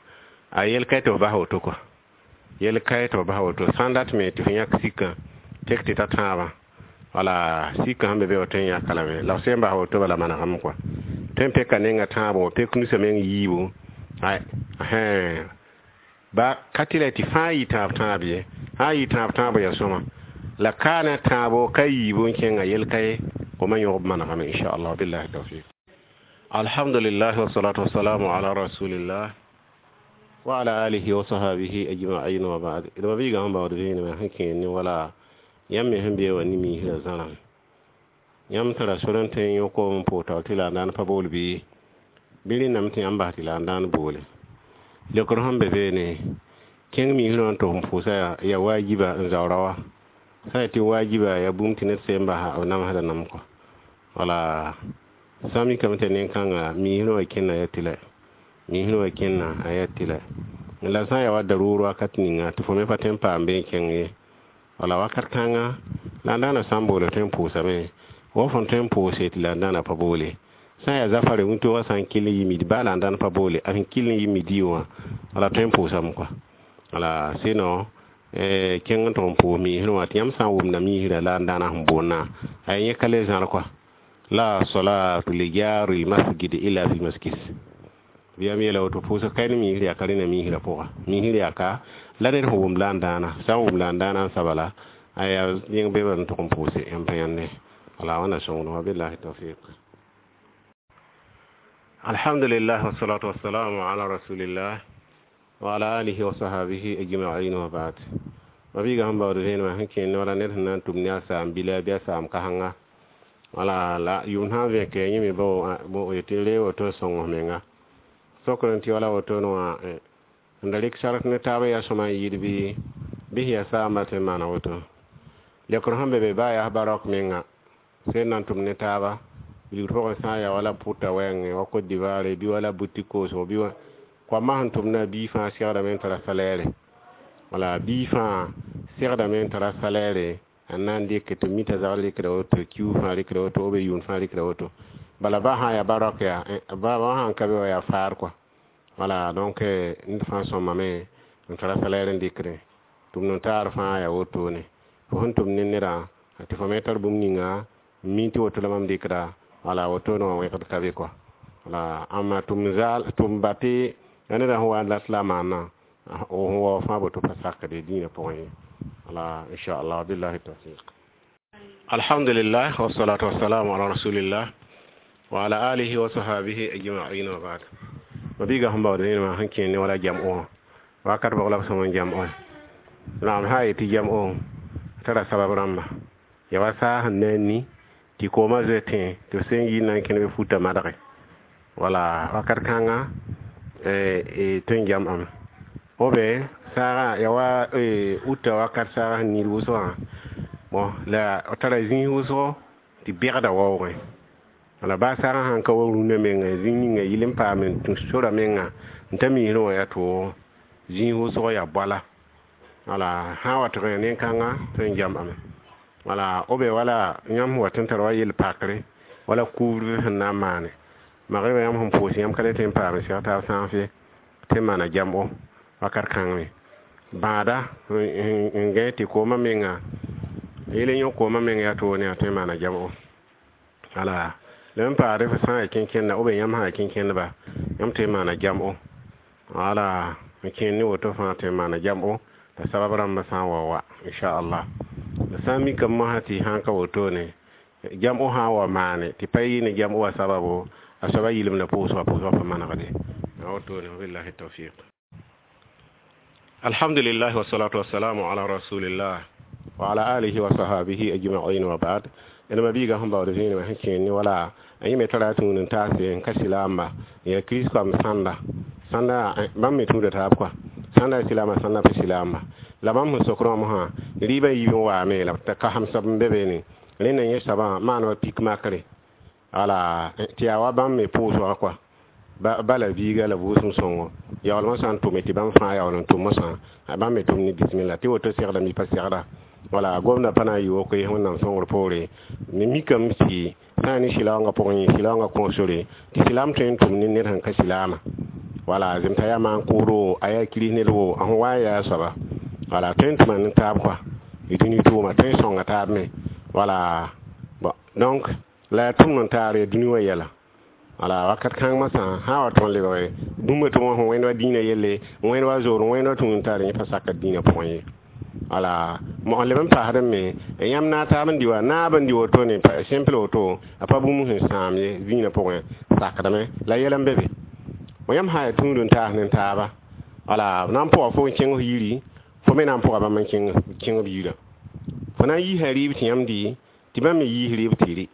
S1: a yel ka tɩ f bas woto kɔa, yel ka tɩ f bas woto. Sãn dat me tɩ fo yãk sikã tek tɩ ta tãabã, wala sikã sẽn be be wa tõe n yãka lame, la f sẽn bas woto bala manegame kɔa. Tõe n peka nenga tãabo, pek nusã meng yiibu, ba ka tɩ la tɩ fãa yɩ tãab tãab ye, sã n yɩ tãab tãabo yaa sõma, la ka ne tãabo ka yiibu n kẽnga yel ka ye, koomã yõgb manegame, inchallah. Billahi tawfiq. Alhamdulillah, wassalatu wassalamu ala rasulillah wa ala alihi wa sahbihi ajma'in, wa ba'd. D ma-biigã sẽn baood vẽenemã sẽn kẽer ne wala yãmb me sẽn bee wã ne miisrã zãrã, yãmb tara sor n tõe n yõ koom n pʋʋg taoor tɩ la n daan pa bool bɩ bɩ rẽndame tɩ yãmb bas tɩ la n daan boole. Leokr sẽn be beene, kẽng miisrã wã n tʋg n pʋʋsa yaa waajiba n zaoora wa, sã n tɩ waajiba yaa bũmb tɩ ned seen basa b namsda nam kɔ. Wala sã n mikame tɩ nen-kãnga miisrã wã kẽnna yaa tɩlɛ, miisrã wã kẽnna a yaa tɩlɛ, la sã n yaa wa daruur wakat ninga tɩ fo me pa tõe n paam bee n kẽng ye, wala wakat kãnga la n daana sã n boole tõe n pʋʋsame, wa fõn tõe n pʋʋse tɩ la n daana pa boole. Sã n yaa zafare wĩntoogã sã n kell n yɩ midi baa la n daan pa boole, a sẽn kell n yɩ midi wã wala tõe n pʋʋsame kɔa. Wala sinon kẽng n tʋg n pʋʋs miisrã wã tɩ yãmb sã n wʋmda miisrã la n daana sẽn boonnã, a yẽ ka le zãr kɔa. La salatu li jari masjid illa fi masjid. Bɩ yam yeela woto pʋʋsg ka ne miisr yaa ka rẽna miisrã pʋga, miisr yaa ka la ned sẽn wʋm la n daana, sã n wʋm la n daana n sabala a yaa yẽng be n tʋg n pʋʋse yãmb pa yãnde. Wala wãnna sõngd wã, billahi tawfiq. Alhamdulillah, wassalatu wassalamu ala rasulillah wa ala alihi wa sahbihi ajma'in, wa ba'd. Ma-biigã sẽn baood vẽenemã sẽn kẽer ne wala ned sẽn na n tʋm ne a saam bila bɩ a saam kãsenga, wala la yʋʋm sã n vẽke yẽ me bo yetɩ reeg woto n sõng f menga. Sokr n tɩ wala wotone wã n da rɩk sark ne taab yaa sõma n yɩɩd bɩ sẽn yaa saamba tõe n maana woto. Leokr sẽn be be baa yaa barok menga sẽn na n tʋm ne taaba bilgr pʋgẽ, sã n yaa wala pʋta wɛɛngẽ wa Côte d'Ivoire bɩ wala boutique koosgo bɩ koamã sẽn tʋmda, bii fãa segdame n tara salaire, wala bii fãa segdame n tara salaire n na n dɩk tɩ mita zagr rɩkda woto, kiu fãa rɩkda woto, b yʋʋn fãa rɩkda woto. Bala ba sã n yaa barok yaa ba sã n ka be wa yaa faar kɔa. Wala donc ned fãa sõmame n tara salaire n dɩkdẽ tʋm n taar fãa yaa wotone. Fo sẽn tʋm ne nedã tɩ fo me tar bũmb ninga n mi tɩ woto la mam dɩkda, wala wotone wã wẽgd ka be kɔa. Wala ãmma tʋm zaal tʋm ba tɩ Yaa neda sẽn wa n lat la a maana sẽn wa fãa boto pa sakde dĩinã pʋgẽ ye. Wala inchallah, billahi tawfiq. Alhamdulillah, wassalatu wassalamu ala rasulillah wa ala alihi wa sahabihi ajma'in wa ba'd. Mabiga sẽn baood rẽnemã sẽn kẽer ne wala jam'o wã wakat bg la b sõm n jam'o naam sã yetɩ jam'o tara sabab rãmba ya wa saag sẽn na n ni tɩ koomã zoe tẽ tɩ b sen yɩ na n kẽne futa madge wala wakat kãnga tõe n jam'ame obe saagã ya wa uta wakat saagã sẽn niid wʋsgã bon la tara zĩis wʋsgo tɩ bɛgda waoogẽ wala baa saagã sãn ka wa rũnã menga zĩig ninga yɩl n paam n tũ sora menga n ta misrẽ wã yaa tʋʋgo zĩis wʋsg yaa bala wala sã n wa tɩg ya nen-kãnga tõe n jam'ame wala obe wala yãmb wa tɩ n tar wa yel pakre wala couvre sẽn na n maane magrɩbã yãmb sẽn pʋʋs yãmb ka le tõe n paam n seg taab sãasẽ tɩ n maana jam'o wakat kãng me bãada n gãe tɩ koomã menga yel n yõ koomã meng yaa toore yaa tõe n maana jam'o wala la n paasd f sã n yaa kẽnkẽnda ou bien yãmb sã n yaa kẽnkẽndba yãmb tõe n maana jam'o wala n kẽer ne woto fãa tõe n maana jam'o t'a sabab rãmbã sã n wa wa inchallah. La sã n mikame mosã tɩ sã n ka wotone jam'o sã n wa maane tɩ pa yɩ ne jam'o wa sababo a soaba yɩlemda pʋʋsga pʋʋsga pa manegde a wotone. Wabillahi tawfiq. Alhamdulillah, wassalatu wassalamu ala rasulillah wa ala alihi wa sahabihi ajma'in wa ba'd. Ẽn mabiiga sẽn baood vẽenemã sẽn kẽer ne wala a yẽ me tara tũud n taase n ka silaamba yaa kirist-koam sãnda sãnda bãmb me tũuda taab kɔa sãnda silaama sãnda pa silaamba la bãmb sẽn sok rãmb sã rɩɩbã yiib n waame la ka sãmsb n be beene rẽnda yẽ soabã maan wa pik makre wala tɩ yaa wa bãmb me pʋʋsga kɔa bala biiga la vʋʋsem sõngo yaoolmã sã n tʋme tɩ bãmb fãa yaool n tʋm mosã bãmb me tʋm ne bismilla tɩ woto segda mi pa segda wala gomda pa na n yɩ woko ye wẽnnaam sõngr poore me mikame tɩ sã n ne sɩlaoongã pʋgẽ yẽ sɩlaoongã kõos sore tɩ silaam tõe n tʋm ne ned sẽn ka silaamã wala zemta yaa maan kʋʋdo a yaa kiris ned wo a sẽn wa n yaa soaba wala tõe n tʋma ne taab kɔa y dũni tʋʋma tõe n sõnga taab me wala bon donc la yaa tʋmd n taar ya dũni wã yɛla wala wakat kãng masã sã wa tõn lebge bũmb tɩ wã sẽn wẽnd wa dĩinã yelle wẽnd wa zoor wẽnd wa tũud n taar yẽ pa sakd dĩinã pʋgẽ ye wala mog leb n paasd me yãmb na taab n dɩ wa naab n dɩ wotone simple woto a pa bũmb sẽn sãam ye zĩinã pʋgẽ sakdame la yɛl n be be yãmb sã yaa tũud n taas ne taaba wala na n pʋga fo n kẽng f yiri fo me na n pʋga bãmb n kẽng b yirã fo na n yiisa rɩɩb tɩ yãmb dɩ tɩ bãmb me yiis rɩɩb tɩ rɩ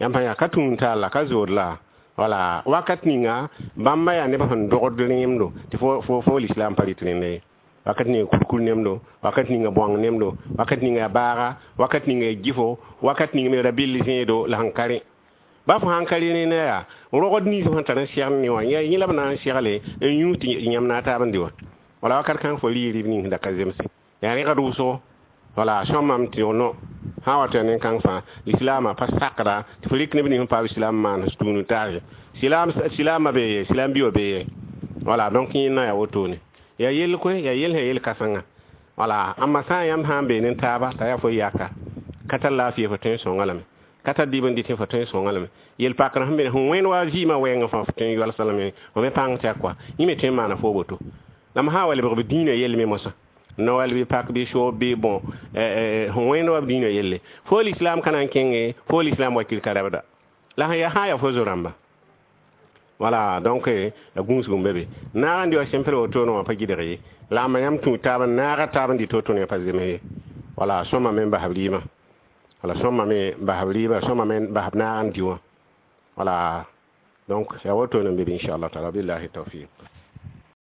S1: yãmb sã yaa ka tũud n taar la ka zood la wala wakat ninga bãmba yaa neb sẽn dogd rẽemdo tɩ fo lislam pa rɩt rẽnda ye wakat ninga kurkur nemdo wakat ninga bõang nemdo wakat ninga yaa baaga wakat ninga yaa gifo wakat ninga me ra-bɩll zẽedo la sẽn ka rẽ ba fo sãn ka rẽ rẽnda yaa rogd nins sẽn tar n segd ne wã yẽ la b na n segle n yũ tɩ yãmb na a taab n dɩ wã wala wakat kãng fo rɩ rɩb nins da ka zemse yaa rẽgd wʋsgo wala sõmam tɩ no sã wa tɩ yaa nen-kãng fãa lislaamã pa sakda tɩ fo rɩk neb nins sẽn paam islam maan tũud n taase silaam silaamã bee ye silaam bi wã bee ye wala donc yẽnna yaa wotone yaa yell koe yaa yell sẽn yel kãsengã wala ãmba sã n yãmb sã n bee ne taaba t'a yaa fo yaka ka tar laafɩ fo tõe n sõnga lame ka tar dɩb n dɩt fo tõe n sõnga lame yel pakr sẽn be sẽn wẽnd wa vɩɩmã wɛɛngã fãa fo tõe n yɔlsa lame fo me pãng tɩ a kɔa yẽ me tõe n maana fo woto la m sã n wa lebg b dĩinã yell me mosã Noël bɩ pak bɩ soob bɩ bon sẽn wẽnd wa b dĩinã yelle fo lislam ka na n kẽnge fo lislam wakil ka rabda la sẽn yaa sã n yaa fo zo-rãmba wala donc la gũusg n be be naag n dɩ wa simple wotone wã pa gɩdg ye la ãmba yãmb tũ taab n naaga taab n dɩ to-to ne pa zems ye wala sõma me n bas b rɩɩmã wala sõma me n bas b rɩɩbã sõma me n bas b naag n dɩ wã wala donc yaa wotone n be be inchallah taala billahi tawfiq.